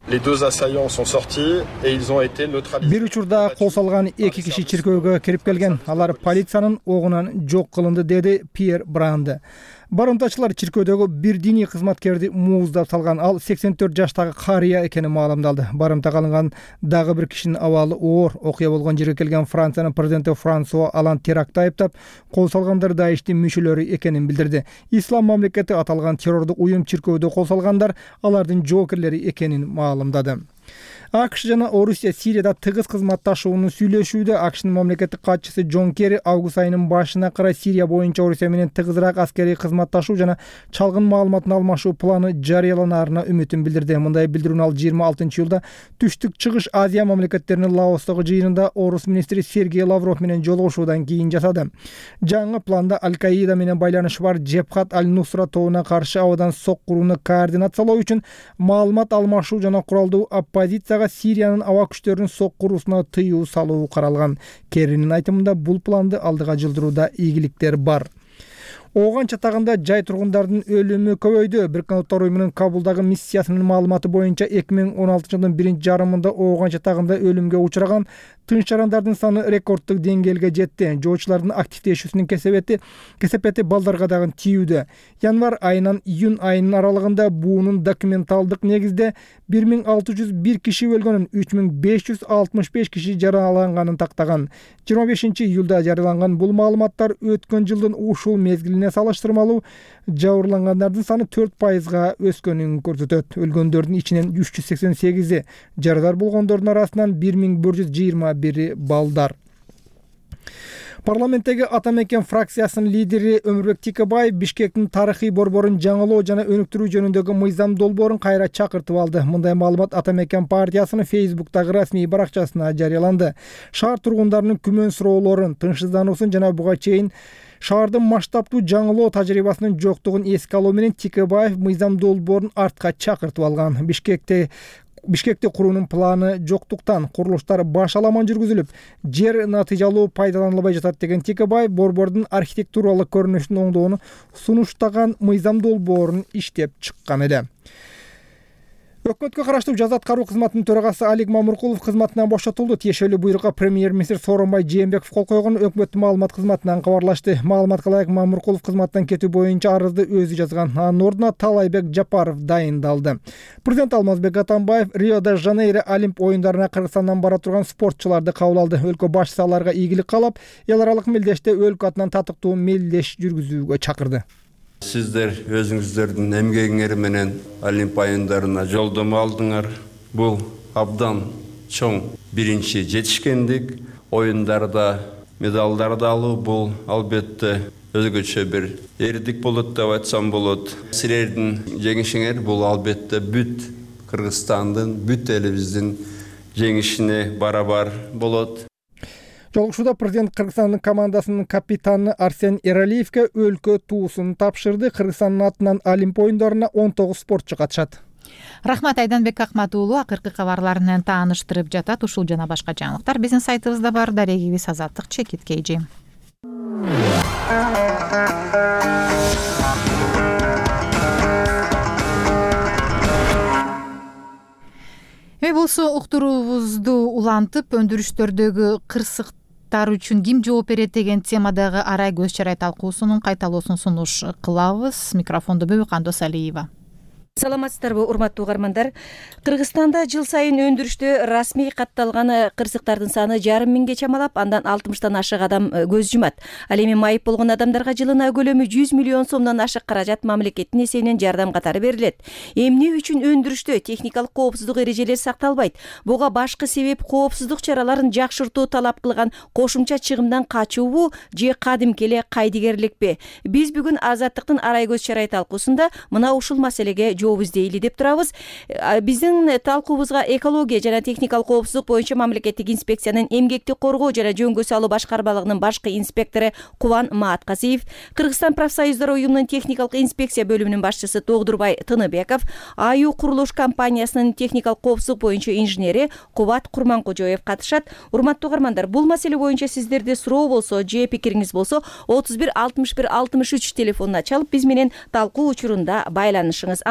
Les deux assaillants sont sortis et ils ont été neutralisés. Бир учурда кол салган 2 киши чиркөөгө кирип келген. Алар полициянын огунан жок кылынды, деди Пьер Бранд. Барымтачылар чиркөөдөгү бир диний кызматкерди мууздап салган. Ал 84 жаштагы карыя экени маалымдалды. Барымтага алынган дагы бир кишинин абалы оор. Окуя болгон жерге келген Франциянын президенти Франсуа Алан терактты айыптап, кол салгандар Даиштин мүчөлөрү экенин билдирди. Ислам мамлекети аталган террордук уюм чиркөөдө кол салгандар алардын жоокерлери экенин маалымдады. АКШ жана Орусия Сирияда тыгыз кызматташууну сүйлөшүүдө. АКШнын мамлекеттик катчысы Джон Керри август айынын башына карай Сирия боюнча Орусия менен тыгызыраак аскерий кызматташуу жана чалгын маалыматын алмашуу планы жарыяланаарына үмүтүн билдирди. Мындай билдирүүнү ал 26-июлда Түштүк Чыгыш Азия мамлекеттеринин Лаостогу жыйынында Орус министри Сергей Лавров менен жолугушуудан кийин жасады. Жаңы планда Аль-Каида менен байланышы бар Джебхат аль-Нусра тобуна каршы абадан соккурууну координациялоо үчүн маалымат алмашуу жана куралдуу оппозиция Сириянын аба күчтөрүнүн соккуруусуна тыюу салуу каралган. Керринин айтымында бул планды алдыга жылдырууда ийгиликтер бар. Ооган чатагында жай тургундардын өлүмү көбөйдү. Бириккен Улуттар уюмунун Кабулдагы миссиясынын маалыматы боюнча 2016-жылдын 1-жарымында ооган чатагында өлүмгө учураган тынч жарандардын саны рекордтук деңгээлге жетти. Жоочулардын активдешүүсүнүн кесепети балдарга дагы тийүүдө. Январь айынан июнь айынын аралыгында буунун документалдык негизде 1601 киши өлгөнүн, 3565 киши жараланганын тактаган. 25-июлда жарыяланган бул маалыматтар өткөн жылдын ушул мезгилине салыштырмалуу жабырлангандардын саны 4%га өскөнүн көрсөтөт. Өлгөндөрдүн ичинен 388-и жарадар болгондордун арасынан 1121 балдар. Парламенттеги Ата Мекен фракциясынын лидери Өмүрбек Тикебаев Бишкектин тарыхый борборун жаңылоо жана өнүктүрүү жөнүндөгү мыйзам долбоорун кайра чакыртып алды. Мындай маалымат Ата Мекен партиясынын Facebook'тагы расмий баракчасына жарыяланды. Шаар тургундарынын күмөн суроолорун, тынчсыздануусун жана буга чейин шаардын масштабтуу жаңылоо тажрыйбасынын жоктугун эске алуу менен Тикебаев мыйзам долбоорун артка чакыртып алган. Бишкекте Бишкекти куруунун планы жоктуктан курулуштар башаламан жүргүзүлүп, жер натыйжалуу пайдаланылбай жатат деген Текебаев борбордун архитектуралык көрүнүшүн оңдоону сунуштаган мыйзам долбоорун иштеп чыккан эле. Өкмөткө караштуу жаза аткаруу кызматынын төрагасы Алик Мамуркулов кызматынан бошотулду. Тиешелүү буйрукка премьер-министр Сооронбай Жээнбеков кол койгон өкмөттүн маалымат кызматынан кабарлашты. Маалыматка ылайык Мамуркулов кызматтан кетүү боюнча арызды өзү жазган. Анын ордуна Талайбек Жапаров дайындалды. Президент Алмазбек Атамбаев Рио-де-Жанейро Олимп оюндарына Кыргызстандан бара турган спортчуларды кабыл алды. Өлкө башчысы аларга ийгилик каалап, эл аралык мелдеште өлкө атынан татыктуу мелдеш жүргүзүүгө чакырды. Сиздер өзүңүздөрдүн эмгегиңер менен Олимп оюндарына жолдомо алдыңар. Бул абдан чоң биринчи жетишкендик. Оюндарда медалдарды алуу бул албетте өзгөчө бир эрдик болот деп айтсам болот. Силердин жеңишиңер бул албетте бүт Кыргызстандын, бүт элибиздин жеңишине барабар болот. Жолугушууда президент Кыргызстандын командасынын капитаны Арсен Эралиевке өлкө туусун тапшырды. Кыргызстандын атынан Олимп оюндарына 19 спортчу катышат. Рахмат, Айданбек Акматуулу акыркы кабарлар менен тааныштырып жатат. Ушул жана башка жаңылыктар биздин сайтыбызда бар. Дарегибиз Азаттык Чекиткейжи. Болсо уктуруубузду улантып, өндүрүштөрдөгү кырсыктар үчүн ким жооп берет деген темадагы арай көз чарай талкуусунун кайталоосун сунуш кылабыз. Микрофондо Бөбөкандос Алиева. Саламатсыздарбы, урматтуу угармандар. Кыргызстанда жыл сайын өндүрүштө расмий катталган кырсыктардын саны 500 миңге чамалап, андан 60тан ашык адам көз жумат. Ал эми майып болгон адамдарга жылына көлөмү 100 миллион сомдон ашык каражат мамлекеттин эсебинен жардам катары берилет. Эмне үчүн өндүрүштө техникалык коопсуздук эрежелери сакталбайт? Буга башкы себеп коопсуздук чараларын жакшыртуу талап кылган кошумча чыгымдан качуубу же кадимки эле кайдыгерликпи? Биз бүгүн Азаттыктын арай көз чарай талкуусунда мына ушул маселеге жооп издейли деп турабыз. Биздин талкуубузга экология жана техникалык коопсуздук боюнча мамлекеттик инспекциянын эмгекти коргоо жана жөнгө салуу башкармалыгынын башкы инспектору Кубан Мааткасиев, Кыргызстан профсоюздар уюмунун техникалык инспекция бөлүмүнүн башчысы Тогдурбай Тыныбеков, АЮ курулуш компаниясынын техникалык коопсуздук боюнча инженери Кубат Курманкожоев катышат. Урматтуу угармандар, бул маселе боюнча сиздерде суроо болсо же пикириңиз болсо 31 61 63 телефонуна чалып биз менен талкуу учурунда байланышыңыз.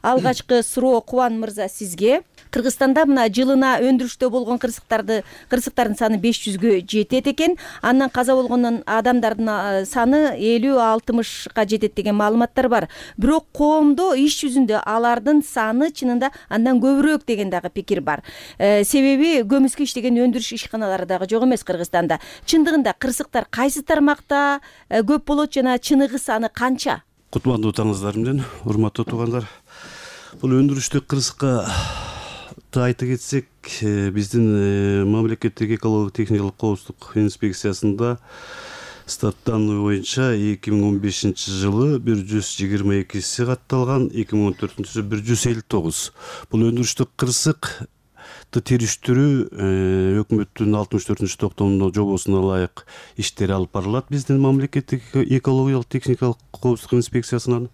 Алгачкы суроо Кубан мырза сизге. Кыргызстанда мына жылына өндүрүштө болгон кырсыктардын саны 500гө жетет экен. Андан каза болгон адамдардын саны 50-60га жетет деген маалыматтар бар. Бирок коомдо иш жүзүндө алардын саны чынында андан көбүрөөк деген дагы пикир бар. Себеби көмүскө иштеген өндүрүш ишканалары дагы жок эмес Кыргызстанда. Чындыгында кырсыктар кайсы тармакта көп болот жана чыныгы саны канча? Кутмандуу таңыңыздар менен, урматтуу туугандар. Бул өндүрүштүк кырсыкка айта кетсек, биздин мамлекеттик экологиялык техникалык коопсуздук инспекциясында статтан боюнча 2015 жылы 122 катталган, 2014 159. Бул өндүрүштүк кырсык териштирүү өкмөттүн 64 токтомунун жобосуна ылайык иштери алып барылат. Биздин мамлекеттик экологиялык техникалык коопсуздук инспекциясынан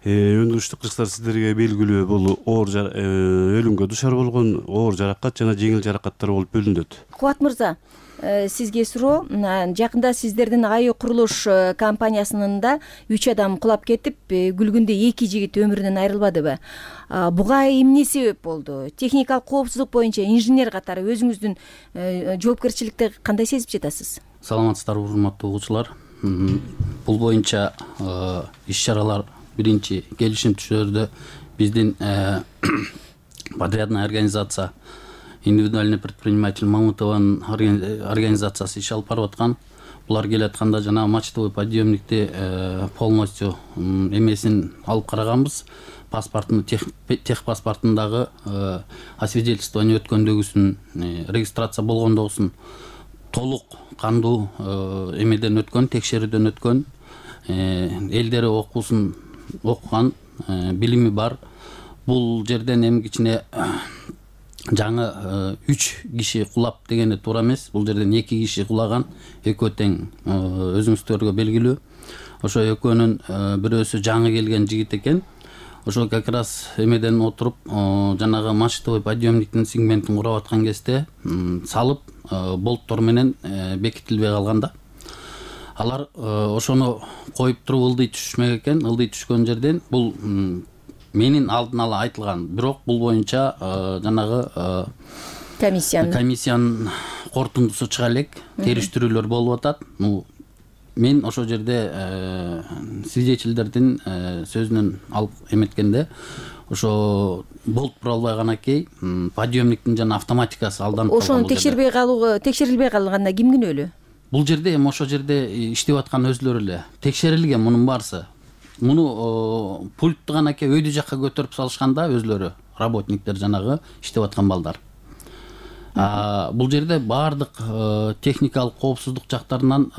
өндүрүштүк кырсыктар сиздерге белгилүү бул оор өлүмгө душар болгон оор жаракат жана жеңил жаракаттар болуп бөлүнөт. Кубат мырза, сизге суроо. Жакында сиздердин АЮ курулуш компаниясынын да 3 адам кулап кетип, күлгүндө 2 жигит өмүрүнөн айрылбадыбы? Буга эмне себеп болду? Техникалык коопсуздук боюнча инженер катары өзүңүздүн жоопкерчиликти кандай сезип жатасыз? Саламатсыздарбы, урматтуу угуучулар. Бул боюнча иш-чаралар биринчи келишим түшүрдө биздин подрядная организация индивидуальный предприниматель Мамутованын организациясы иш алып барып аткан. Булар келатканда жана мачтовый подъемникти полностью эмесин алып караганбыз. Паспортун, техпаспортундагы освидетельствование өткөндөгүсүн, регистрация болгондогусун толук кандуу эмеден өткөн, текшерүүдөн өткөн, элдери окуусун окуган, билими бар. Бул жерден эми кичине жаңы 3 киши кулап дегенде туура эмес. Бул жерден 2 киши кулаган, экөө тең өзүңүздөргө белгилүү. Ошо экөөнүн бирөөсү жаңы келген жигит экен. ошо как раз эмеден отуруп жанагы мачтовый подъемниктин сегментин курап аткан кезде салып болттор менен бекитилбей калган да. Алар ошону коюп туруп ылдый түшмөк экен. Ылдый түшкөн жерден бул менин алдын ала айтылган, бирок бул боюнча жанагы комиссиянын корутундусу чыга элек, териштирүүлөр болуп атат. Мен ошол жерде свидетельдердин сөзүнөн алып эметкенде ошо болт бура албай канакей подъемниктин жана автоматикасы алданып калган. Ошону текшерилбей калганда ким күнөөлүү? Бул жерде эми ошол жерде иштеп аткан өзлөрү эле текшерилген мунун баарысы. Муну пультту канакей өйдө жакка көтөрүп салышканда өзлөрү работниктер жанагы иштеп аткан балдар. Бул жерде баардык техникалык коопсуздук жактарынан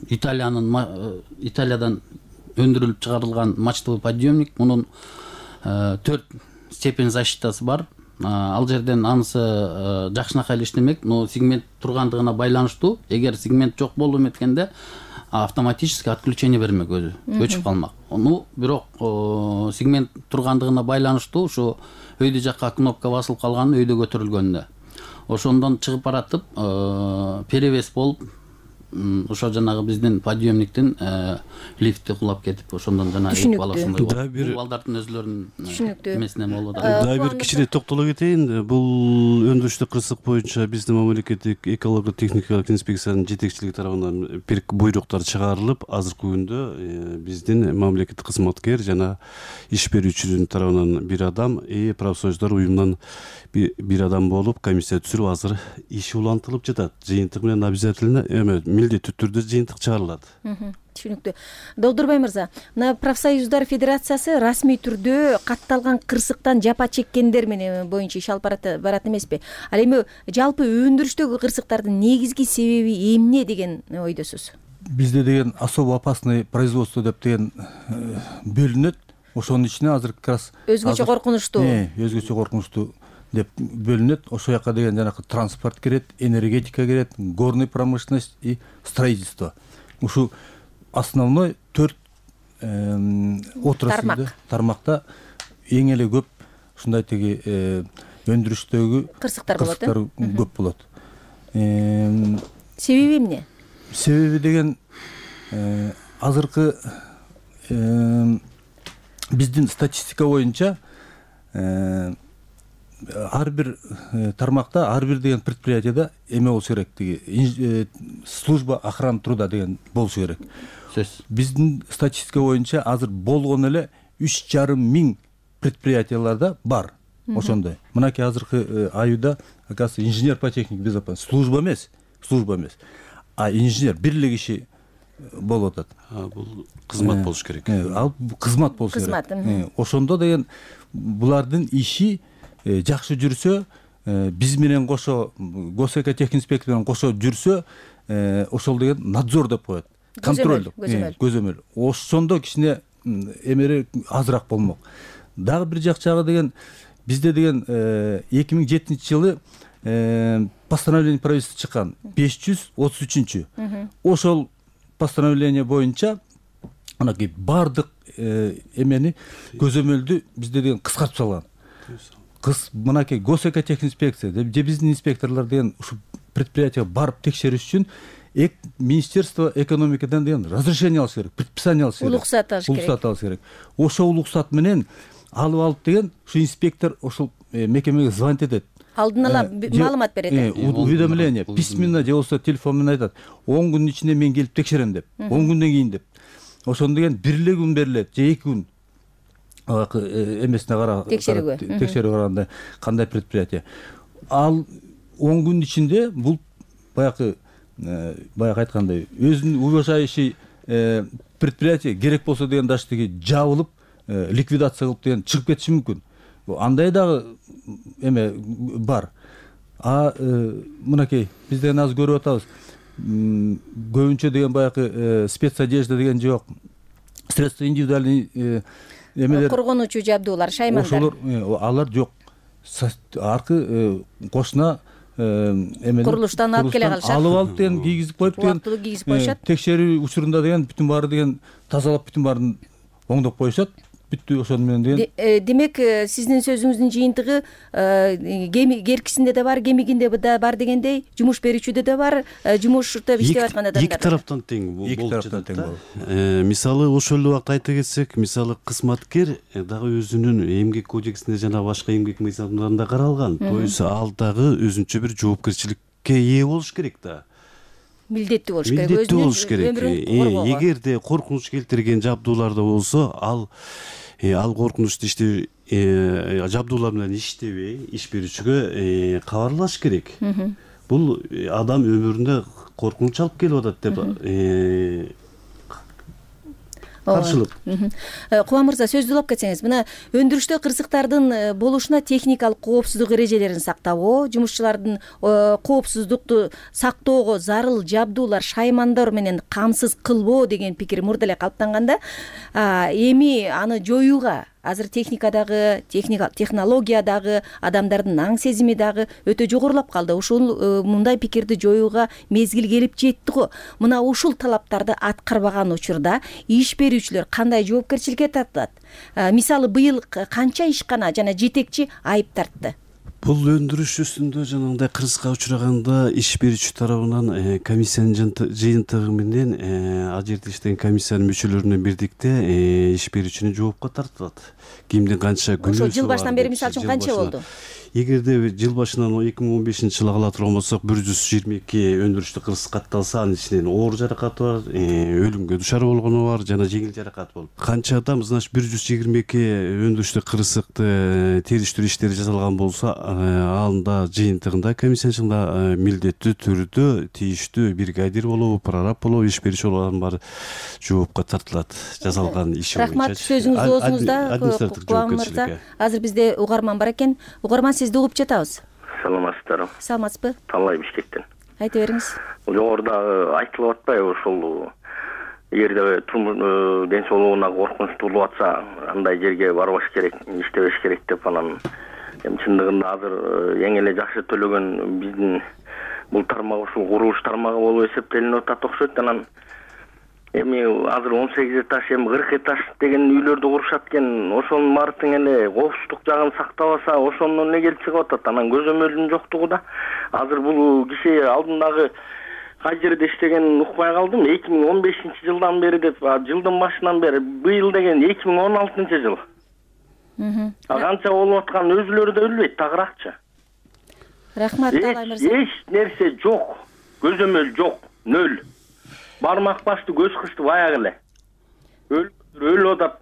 Италиядан өндүрүлүп чыгарылган мачтовый подъемник, мунун 4 степень защитасы бар. Ал жерден анысы жакшынакай эле иштемек, но сегмент тургандыгына байланыштуу. Эгер сегмент жок болуп эметкенде автоматически отключение бермек, өзү өчүп калмак. Бирок сегмент тургандыгына байланыштуу ушу өйдө жакка кнопка басылып калган, өйдө көтөрүлгөндө ошондон чыгып баратып перевес болуп ошо жанагы биздин подъемниктин лифти кулап кетип, ошондон жана эки баласындай болуп балдардын өзлөрүнүн эмесинен болуп атат. Дагы бир кичине токтоло кетейин. Бул өндүрүштүк кырсык боюнча биздин мамлекеттик экология техникалык инспекциянын жетекчилиги тарабынан буйруктар чыгарылып, азыркы күндө биздин мамлекеттик кызматкер жана иш берүүчүнүн тарабынан бир адам, профсоюздар уюмунан бир адам болуп комиссия түзүлүп, азыр иш улантылып жатат. Жыйынтык менен обязательно милдеттүү түрдө жыйынтык чыгарылат. Түшүнүктүү. Долдурбай мырза, мына профсоюздар федерациясы расмий түрдө катталган кырсыктан жапа чеккендер менен боюнча иш алып барат эмеспи? Ал эми жалпы өндүрүштөгү кырсыктардын негизги себеби эмне деген ойдосуз? Бизде деген особо опасный производство деп деген бөлүнөт. Ошонун ичине азыр как раз өзгөчө коркунучтуу. Өзгөчө коркунучтуу деп бөлүнөт. Ошол жака деген жанагы транспорт кирет, энергетика кирет, горный промышленность и строительство. Ушу основной 4 отраслда, тармакта эң эле көп ушундай теги өндүрүштөгү кырсыктар көп болот. Себеби эмне? Себеби деген азыркы биздин статистика боюнча ар бир тармакта, ар бир деген предприятияда эме болушу керек, тиги служба охраны труда деген болушу керек. Биздин статистика боюнча азыр болгон эле 3,5 предприятияларда бар ошондой. Мынакей азыркы айда, оказывается, инженер по технике безопасности служба эмес, а инженер бир эле киши болуп атат. Бул кызмат болуш керек. Ал кызмат болушу керек. Ошондо деген булардын иши жакшы жүрсө, биз менен кошо госэкотехинспекция менен кошо жүрсө, ошол деген надзор деп коет. Контроль, көзөмөл. Ошондо кичине эмери азыраак болмок. Дагы бир жагы деген бизде деген 2007-жылы постановление правительства чыккан 533. Ошол постановление боюнча анакей бардык эмени көзөмөлдү бизде деген кыскартып салган. Мынакей госэкотехинспекция же биздин инспекторлор деген ушу предприятияга барып текшериш үчүн Министерство экономикадан деген разрешение алыш керек, предписание алыш керек. Уруксат алыш керек. Ошол уруксат менен алып деген ушу инспектор ошол мекемеге звонить этет. Алдын ала маалымат берет. Уведомление письменно же болбосо телефон менен айтат. 10 күндүн ичинде мен келип текшерем деп. 10 күндөн кийин деп. Ошондо деген бир эле күн берилет же 2 күн. Эмесине текшерүү караганда кандай предприятие. Ал 10 күн ичинде бул баягы айткандай өзүнүн уважающий предприятие керек болсо деген даже тиги жабылып ликвидация кылып деген чыгып кетиши мүмкүн. Андай дагы эме бар. Мынакей биз деген азыр көрүп атабыз. Көбүнчө деген баягы спецодежда деген жок. Средства индивидуальный эмелер, коргонуучу жабдуулар, шаймандар. Ошолор алар жок. Аркы кошуна эмелер курулуштан алып келе калышат. Алып деген кийгизип коюп деген кийгизип коюшат. Текшерүү учурунда деген бүтүн баары деген тазалап бүтүн баарын оңдоп коюшат. бүттү ошону менен деген. Демек сиздин сөзүңүздүн жыйынтыгы керкисинде да бар, кемигинде да бар дегендей, жумуш берүүчүдө да бар, жумушта иштеп аткан адамдар. Эки тараптан тең болуп жатат. Мисалы ошол эле убакта айта кетсек, мисалы кызматкер дагы өзүнүн эмгек кодексинде жана башка эмгек мыйзамдарында каралган. То есть ал дагы өзүнчө бир жоопкерчиликке ээ болуш керек да. Милдеттүү болуш керек. Милдеттүү болуш керек. Эгерде коркунуч келтирген жабдууларда болсо, ал коркунучту жабдуулар менен иштебей, иш берүүчүгө кабарлаш керек. Бул адам өмүрүндө коркунуч алып келип атат деп каршылык. Кубан мырза, сөздү улап кетсеңиз, мына өндүрүштө кырсыктардын болушуна техникалык коопсуздук эрежелерин сактабоо, жумушчулардын коопсуздукту сактоого зарыл жабдуулар, шаймандар менен камсыз кылбоо деген пикир мурда эле калыптанганда, эми аны жоюуга азыр технология дагы, адамдардын аң сезими дагы өтө жогорулап калды. Ушул мындай пикирди жоюуга мезгил келип жетти го. Мына ушул талаптарды аткарбаган учурда иш берүүчүлөр кандай жоопкерчиликке тартылат? Мисалы, быйыл канча ишкана жана жетекчи айып тартты? Бул өндүрүш үстүндө жанагындай кырсыкка учураганда иш берүүчү тарабынан комиссиянын жыйынтыгы менен ал жерде иштеген комиссиянын мүчөлөрүнө бирдикте иш берүүчүнү жоопко тартылат. Кимдин канча күнөөсү бар? Ошо жыл башынан бери мисалы үчүн канча болду? Эгерде жыл башынан 2015-жылы ала турган болсок, 122 өндүрүштүк кырсык катталса, анын ичинен оор жаракаты бар, өлүмгө душар болгону бар, жана жеңил жаракат болуп. Канча адам, значит, 122 өндүрүштүк кырсыкты териштирүү иштери жасалган болсо, анда жыйынтыгында комиссиянын милдеттүү түрдө тийиштүү бригадир болобу, прораб болобу, иш берүүчү болгон бар жоопко тартылат жасалган иши боюнча. Рахмат, сөзүңүз оозуңузда. Кубан мырза, азыр бизде угарман бар экен. Угарман, сизди угуп жатабыз. Саламатсыздарбы? Саламатсызбы? Талай Бишкектен. Айта бериңиз. Жогоруда айтылып атпайбы, ошол эгерде ден соолугуна коркунуч туулуп атса, андай жерге барбаш керек, иштебеш керек деп анан чындыгында азыр эң эле жакшы төлөгөн биздин бул тармак ушул курулуш тармагы болуп эсептелинип атат окшойт. Анан эми азыр 18 этаж, 40 этаж деген үйлөрдү курушат экен. Ошонун баардыгын эле коопсуздук жагын сактабаса, ошондон эле келип чыгып атат. Анан көзөмөлдүн жоктугу да. Азыр бул киши алдындагы кай жерде иштеген укпай калдым. 2015-жылдан бери деп, жылдын башынан бери, быйыл деген 2016-жыл. Канча болуп аткан өзүлөрү да билбейт, тагыракчы. Рахмат, Талай мырза. Эч нерсе жок, көзөмөл жок, нөл. Бармак башты, көз кышты баягы эле. Өлүп атат.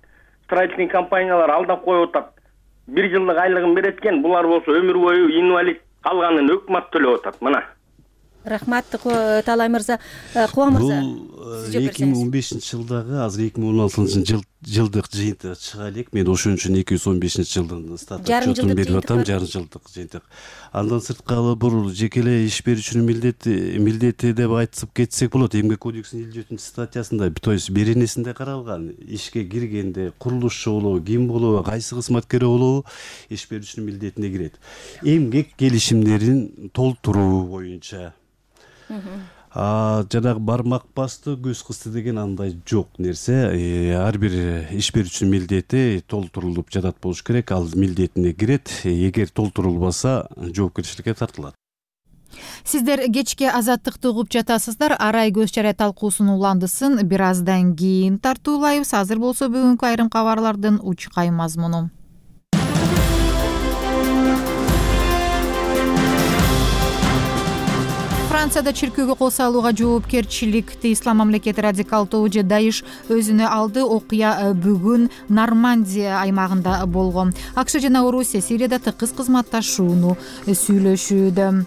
Строительный компаниялар алдап коюп атат. 1 жылдык айлыгын берет экен, булар болсо өмүр бою инвалид, калганын өкмөт төлөп атат. Мына. Рахмат, Талай мырза. Кубан мырза. Бул 2015-жылдагы, азыр 2016-жылдык жыйынтык чыга элек. Мен ошон үчүн 215-жылдын статутун берип атам, жарым жылдык жыйынтык. Андан сырткары бул жеке эле иш берүүчүнүн милдети деп айтып кетсек болот. Эмгек кодексинин 54 статьясында, то есть беренесинде каралган, ишке киргенде курулушчу болобу, ким болобу, кайсы кызматкер болобу, иш берүүчүнүн милдетине кирет. Эмгек келишимдерин толтуруу боюнча. Жанагы бармак басты, көз кысты деген андай жок нерсе. Ар бир иш берүүчүнүн милдети толтурулуп жатат болуш керек. Ал милдетине кирет. Эгер толтурулбаса, жоопкерчиликке тартылат. Сиздер кечке Азаттыкты угуп жатасыздар. Арай көз чарай талкуусунун уландысын бир аздан кийин тартуулайбыз. Азыр болсо бүгүнкү айрым кабарлардын учкай мазмуну. Францияда чиркөөгө кол салууга жоопкерчиликти Ислам мамлекети радикалдуу же Даиш өзүнө алды. Окуя бүгүн Нормандия аймагында болгон. АКШ жана Орусия Сирияда тыкыз кызматташууну сүйлөшүүдө.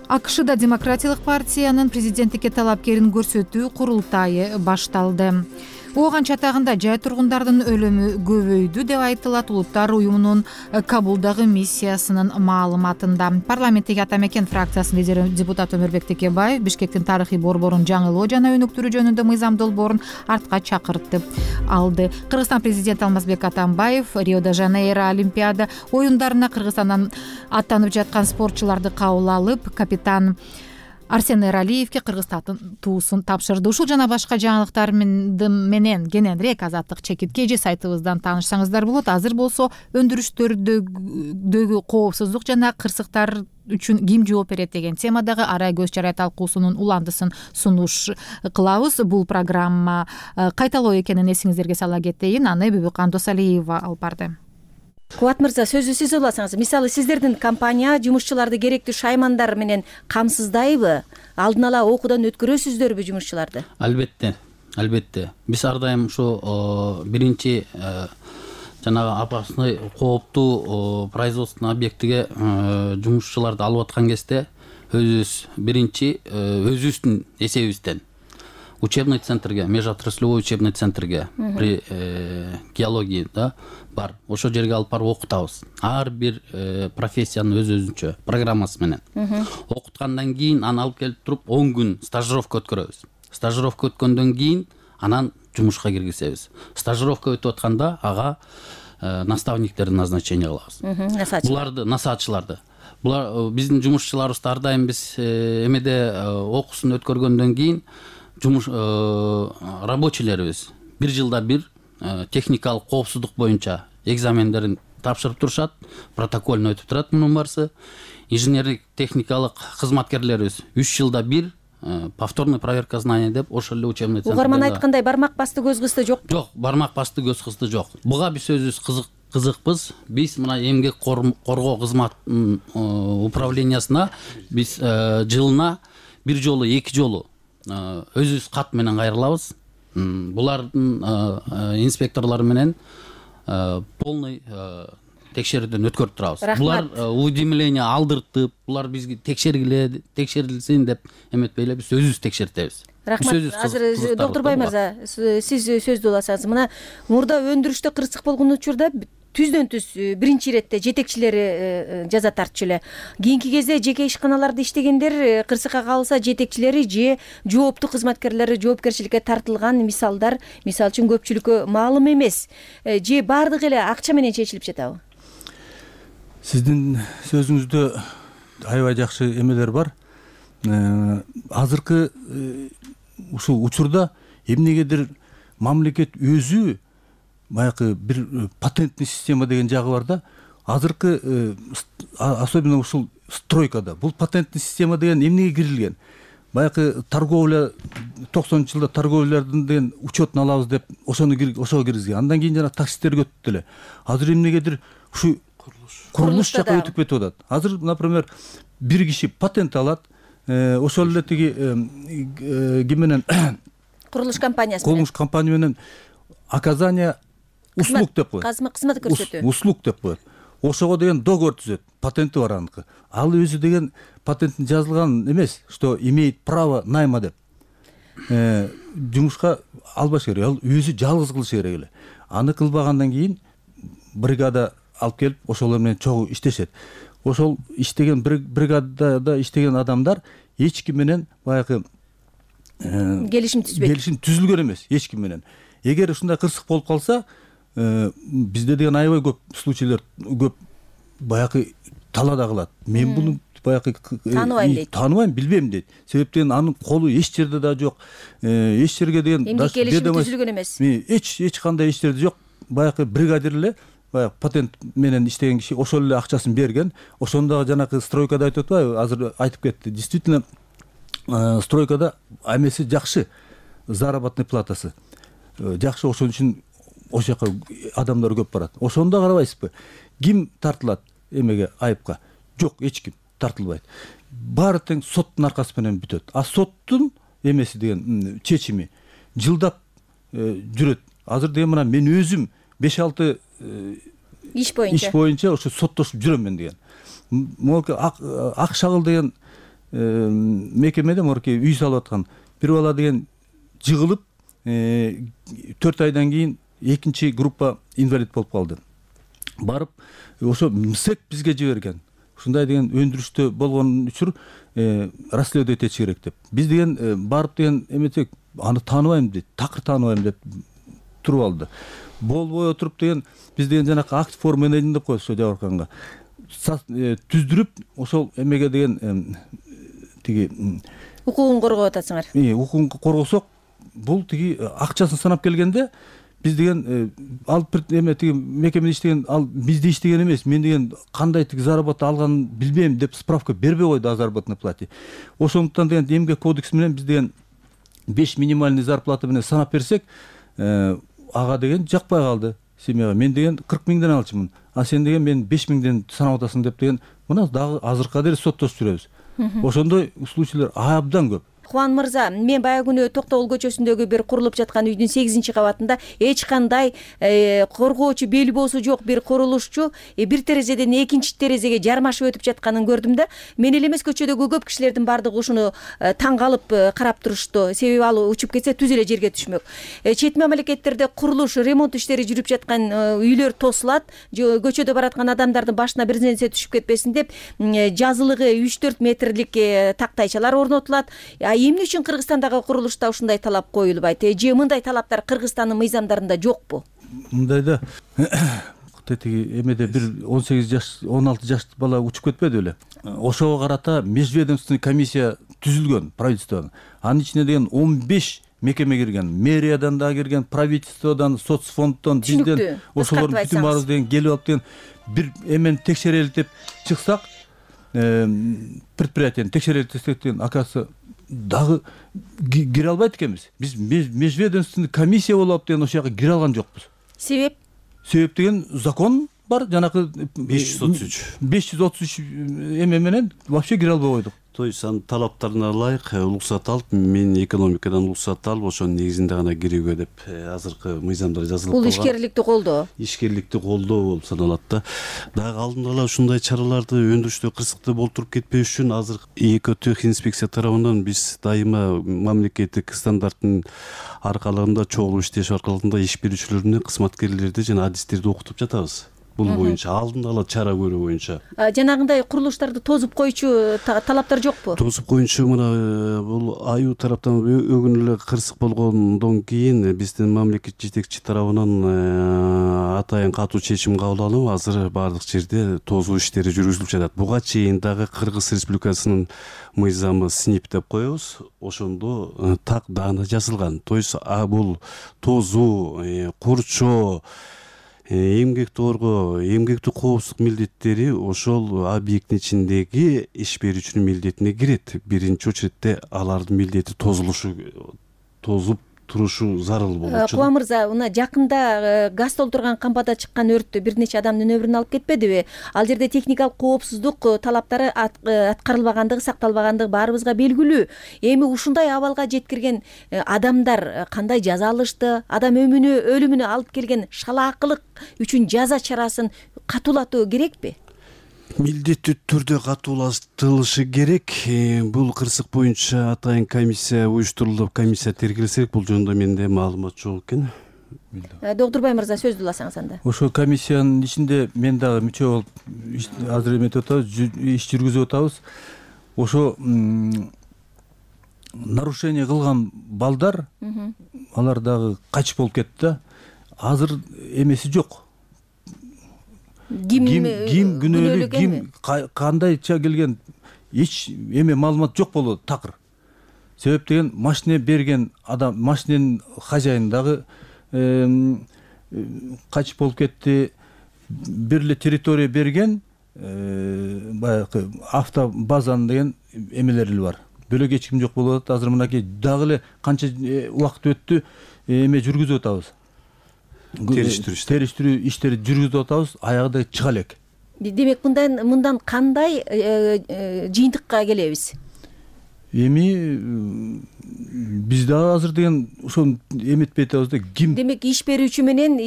АКШда Демократиялык партиянын президенттикке талапкерин көрсөтүү курултайы башталды. Ооган чатагында жай тургундардын өлүмү көбөйдү деп айтылат Улуттар уюмунун Кабулдагы миссиясынын маалыматында. Парламенттеги Ата Мекен фракциясынын лидери депутат Өмүрбек Текебаев Бишкектин тарыхый борборун жаңылоо жана өнүктүрүү жөнүндө мыйзам долбоорун артка чакыртып алды. Кыргызстан президенти Алмазбек Атамбаев Рио-де-Жанейро Олимпиада оюндарына Кыргызстандан аттанып жаткан спортчуларды кабыл алып, капитан Арсен Эралиевке Кыргызстандын туусун тапшырды. Ушул жана башка жаңылыктар менен кененирээк Азаттык чекитке же сайтыбыздан таанышсаңыздар болот. Азыр болсо өндүрүштөрдөгү коопсуздук жана кырсыктар үчүн ким жооп берет деген темадагы арай көз чарай талкуусунун уландысын сунуш кылабыз. Бул программа кайталоо экенин эсиңиздерге сала кетейин. Аны Бүбүкан Досалиева алып барды. Кубат мырза, сөздү сиз уласаңыз. Мисалы, сиздердин компания жумушчуларды керектүү шаймандар менен камсыздайбы? Алдын ала окуудан өткөрөсүздөрбү жумушчуларды? Албетте. Биз ар дайым ушу биринчи жанагы опасный кооптуу производственный объектиге жумушчуларды алып аткан кезде өзүбүз биринчи өзүбүздүн эсебибизден учебный центрге, межотраслевой учебный центрге при геологии бар. Ошо жерге алып барып окутабыз. Ар бир профессиянын өз-өзүнчө программасы менен. Окуткандан кийин аны алып келип туруп 10 күн стажировка өткөрөбүз. Стажировка өткөндөн кийин анан жумушка киргизебиз. Стажировка өтүп атканда ага наставниктерди назначение кылабыз. Буларды насаатчыларды. Булар биздин жумушчуларыбызды ар дайым биз эмеде окуусун өткөргөндөн кийин жумуш рабочийлерибиз 1 жылда бир техникалык коопсуздук боюнча экзамендерин тапшырып турушат, протокольно өтүп турат мунун барысы. Инженерлик техникалык кызматкерлерибиз 3 жылда бир повторный проверка знаний деп ошол эле учебный центрде. Угарман айткандай бармак басты көз кысты жок. Жок, бармак басты көз кысты жок. Буга биз өзүбүз кызыкпыз. Биз мына эмгек коргоо кызматынын управлениясына биз жылына 1 жолу, 2 жолу өзүбүз кат менен кайрылабыз. Булардын инспекторлору менен полный текшерүүдөн өткөрүп турабыз. Булар уведомление алдыртып, булар бизге текшерилсин деп эметпей эле биз өзүбүз текшертебиз. Рахмат. Азыр Докторбай мырза, сиз сөздү уласаңыз. Мына мурда өндүрүштө кырсык болгон учурда түздөн түз биринчи иретте жетекчилери жаза тартчу эле. Кийинки кезде жеке ишканаларда иштегендер кырсыкка калса жетекчилери же жооптуу кызматкерлери жоопкерчиликке тартылган мисалдар мисалы үчүн көпчүлүккө маалым эмес. Же баардыгы эле акча менен чечилип жатабы? Сиздин сөзүңүздө аябай жакшы эмелер бар. Азыркы ушул учурда эмнегедир мамлекет өзү баягы бир патентный система деген жагы бар да. Азыркы особенно ушул стройкада бул патентный система деген эмнеге кирилген? Баягы торговля 90-жылда торговлялардын деген учетун алабыз деп ошого киргизген. Андан кийин жана таксисттерге өтүп эле. Азыр эмнегедир ушу курулуш жакка өтүп кетип атат. Азыр, например, бир киши патент алат, ошол эле тиги ким менен курулуш компаниясы менен. Курулуш компания менен оказание услуг деп коет. Кызмат көрсөтүү. Услуг деп коет. Ошого деген договор түзөт. Патенти бар аныкы. Ал өзү деген патенттин жазылган эмес, что имеет право найма деп. Жумушка албаш керек. Ал өзү жалгыз кылыш керек эле. Аны кылбагандан кийин бригада алып келип ошолор менен чогуу иштешет. Ошол иштеген бригадада иштеген адамдар эч ким менен баягы келишим түзбөйт. Келишим түзүлгөн эмес эч ким менен. Эгер ушундай кырсык болуп калса, бизде деген аябай көп случайлар көп баягы талаада калат. Мен буну баягы тааныбайм, билбейм дейт. Себептен анын колу эч жерде да жок. Эч жерге деген келишим түзүлгөн эмес. Эч кандай эч жерде жок. Баягы бригадир эле баягы патент менен иштеген киши ошол эле акчасын берген. Ошондогу жанагы стройкада айтып атпайбы? Азыр айтып кетти. Действительно стройкада эмеси жакшы, заработный платасы жакшы. Ошон үчүн ошол жака адамдар көп барат. Ошондо карабайсызбы? Ким тартылат эмеге, айыпка? Жок, эч ким тартылбайт. Баары тең соттун аркасы менен бүтөт. А соттун эмеси деген чечими жылдап жүрөт. Азыр деген мына мен өзүм 5-6 иш боюнча ошо соттошуп жүрөм мен деген. Могу ак шагыл деген мекемеде морки үй салып аткан бир бала деген жыгылып 4 айдан кийин экинчи группа инвалид болуп калды. Барып ошо МСЭК бизге жиберген. Ушундай деген өндүрүштө болгон үчүр расследовать этиш керек деп. Биз деген барып деген эметек аны тааныбайм дейт, такыр тааныбайм деп туруп алды. Болбой отуруп деген биз деген жанакы акт форма менеджмент деп коет ошо жабырканга. Түздүрүп ошол эмеге деген тиги укугун коргоп атасыңар. Укугун коргосок, бул тиги акчасын санап келгенде биз деген ал эме тиги мекемеде иштеген, ал бизде иштеген эмес, мен деген кандай тиги заработа алганын билбейм деп справка бербей койду о заработной плате. Ошондуктан деген эмгек кодекси менен биз деген 5 минимальный зарплата менен санап берсек, ага деген жакпай калды семьяга. Мен деген 40 миңден алчумун, а сен деген мен 5 миңден санап атасың деп деген мына дагы азыркыга дейин соттошуп жүрөбүз. Ошондой случайлар абдан көп. Кубан мырза, мен баягы күнү Токтогул көчөсүндөгү бир курулуп жаткан үйдүн 8-кабатында эч кандай коргоочу белбоосу жок бир курулушчу бир терезеден экинчи терезеге жармашып өтүп жатканын көрдүм да. Мен эле эмес, көчөдөгү көп кишилердин баардыгы ушуну таң калып карап турушту. Себеби ал учуп кетсе түз эле жерге түшмөк. Чет мамлекеттерде курулуш, ремонт иштери жүрүп жаткан үйлөр тосулат. Көчөдө бараткан адамдардын башына бир нерсе түшүп кетпесин деп жазылыгы 3-4 метрлик тактайчалар орнотулат. Эмне үчүн Кыргызстандагы курулушта ушундай талап коюлбайт? Же мындай талаптар Кыргызстандын мыйзамдарында жокпу? Мындайда тиги эмеде бир 18 жаш, 16 жаш бала учуп кетпеди беле? Ошого карата межведомственный комиссия түзүлгөн правительстводон. Анын ичине деген 15 мекеме кирген, мэриядан да кирген, правительстводон, соцфонддон, бизден ошолордун бүтүн баарыбыз деген келип алып деген бир эмени текшерели деп чыксак, предприятияны текшерели десек деген акасы дагы кире албайт экенбиз. Биз межведомственный комиссия болуп деген ошол жака кире алган жокпуз. Себеп? Себеп деген закон бар, жанакы 533 эме менен вообще кире албай койдук. То есть анын талаптарына ылайык уруксат алып, мен экономикадан уруксат алып, ошонун негизинде гана кирүүгө деп азыркы мыйзамдар жазылып калган. Бул ишкерликти колдоо. Ишкерликти колдоо болуп саналат да. Дагы алдын ала ушундай чараларды өндүрүштө кырсыкты болтуруп кетпеш үчүн азыр экотехинспекция тарабынан биз дайыма мамлекеттик стандарттын аркалыгында чогулуп иштеш аркалыгында иш берүүчүлөрүнө кызматкерлерди жана адистерди окутуп жатабыз. Бул боюнча алдын ала чара көрүү боюнча. Жанагындай курулуштарды тозуп койчу талаптар жокпу? Тозуп коюнчу мына бул аю тараптан өгүн эле кырсык болгондон кийин биздин мамлекет жетекчи тарабынан атайын катуу чечим кабыл алынып, азыр баардык жерде тозуу иштери жүргүзүлүп жатат. Буга чейин дагы Кыргыз Республикасынын мыйзамы СНИП деп коебуз. Ошондо так даана жазылган. То есть бул тозуу, курчоо, эмгекти коргоо, эмгектик коопсуздук милдеттери ошол объекттин ичиндеги иш берүүчүнүн милдетине кирет. Биринчи очередде алардын милдети тозуп турушу зарыл болот. Кубан мырза, мына жакында газ толтурган камбада чыккан өрттө бир нече адамдын өмүрүн алып кетпедиби? Ал жерде техникалык коопсуздук талаптары аткарылбагандыгы, сакталбагандыгы баарыбызга белгилүү. Эми ушундай абалга жеткирген адамдар кандай жаза алышты? Адам өлүмүнө алып келген шалаакылык үчүн жаза чарасын катуулатуу керекпи? Милдеттүү түрдө катуулаштырылышы керек. Бул кырсык боюнча атайын комиссия уюштурулуп, комиссия тергелсе керек. Бул жөнүндө менде маалымат жок экен. Доктурбай мырза, сөздү уласаңыз анда. Ошол комиссиянын ичинде мен дагы мүчө болуп азыр эметип атабыз, иш жүргүзүп атабыз. Ошо нарушение кылган балдар, алар дагы качып болуп кетти да. Азыр эмеси жок. Ким күнөөлүү, ким кандайча келген эч эме маалымат жок болот такыр. Себеп деген машина берген адам, машинанын хозяйны дагы качып болуп кетти. Бир эле территория берген баягы автобазанын деген эмелери бар. Бөлөк эч ким жок болуп атат. Азыр мынакей дагы эле канча убакыт өттү, эме жүргүзүп атабыз. Териштирүү иштери жүргүзүп атабыз, аягында чыга элек. Демек мындан кандай жыйынтыкка келебиз? Эми биз дагы азыр деген ошону эметпей атабыз да, ким? Демек иш берүүчү менен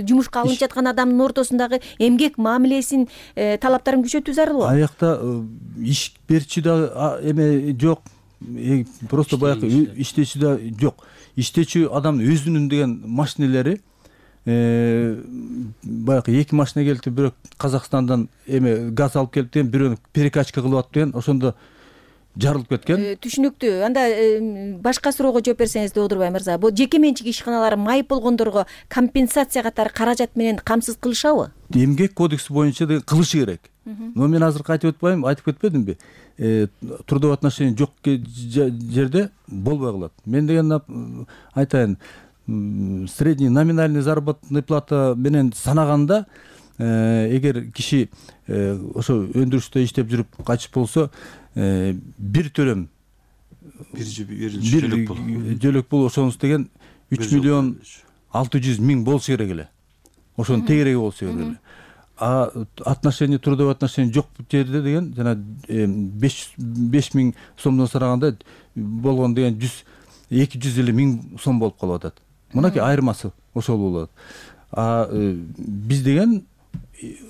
жумушка алынып жаткан адамдын ортосундагы эмгек мамилесин талаптарын күчөтүү зарыл. Аякта иш берүүчү да эме жок. Просто баягы иштечү да жок. Иштечү адамдын өзүнүн деген машинелери баягы эки машина келди, бирок Казакстандан эме газ алып келип деген, бирөөнү перекачка кылып атып деген, ошондо жарылып кеткен. Түшүнүктүү. Анда башка суроого жооп берсеңиз, Доодурбай мырза, бул жеке менчик ишканалар майып болгондорго компенсация катары каражат менен камсыз кылышабы? Эмгек кодекси боюнча кылышы керек. но мен азыркы айтып өтпөйм, айтып кетпедимби, трудовой отношение жок жерде болбой калат. Мен деген айтайын, средний номинальный заработная плата менен санаганда, эгер киши ошо өндүрүштө иштеп жүрүп кайтыш болсо, бир төлөм жөлөк бул ошонус деген 3 миллион 600 миң болуш керек эле. Ошонун тегереги болуш керек эле. А отношение, трудовой отношение жок жерде деген жана 5 миң сомдон сараганда болгон деген 250 миң сом болуп калып атат. Мынакей айырмасы ошол болот. А биз деген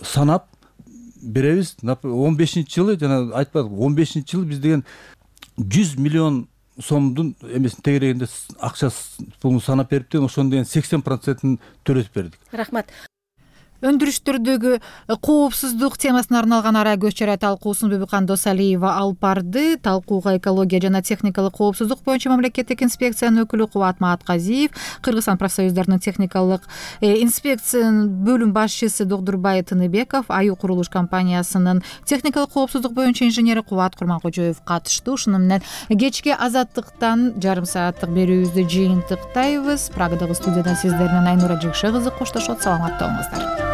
санап беребиз. 15-жылы жана айтпадык, 15-жылы биз деген 100 миллион сомдун эмесин тегерегинде акча пулун санап бериптен, ошондон деген 80%-ын төлөтүп бердик. Рахмат. Өндүрүштөрдөгү коопсуздук темасына арналган ара көз чара талкуусун Бибикан Досалиева алып барды. Талкууга экология жана техникалык коопсуздук боюнча мамлекеттик инспекциянын өкүлү Кубат Маатказиев, Кыргызстан профсоюздарынын техникалык инспекциянын бөлүм башчысы Догдурбай Тыныбеков, Аю курулуш компаниясынын техникалык коопсуздук боюнча инженери Кубат Курманкожоев катышты. Ушуну менен кечки Азаттыктан жарым сааттык берүүбүздү жыйынтыктайбыз. Прагадагы студиядан сиздер менен Айнура Жекше кызы коштошот. Саламатта болуңуздар.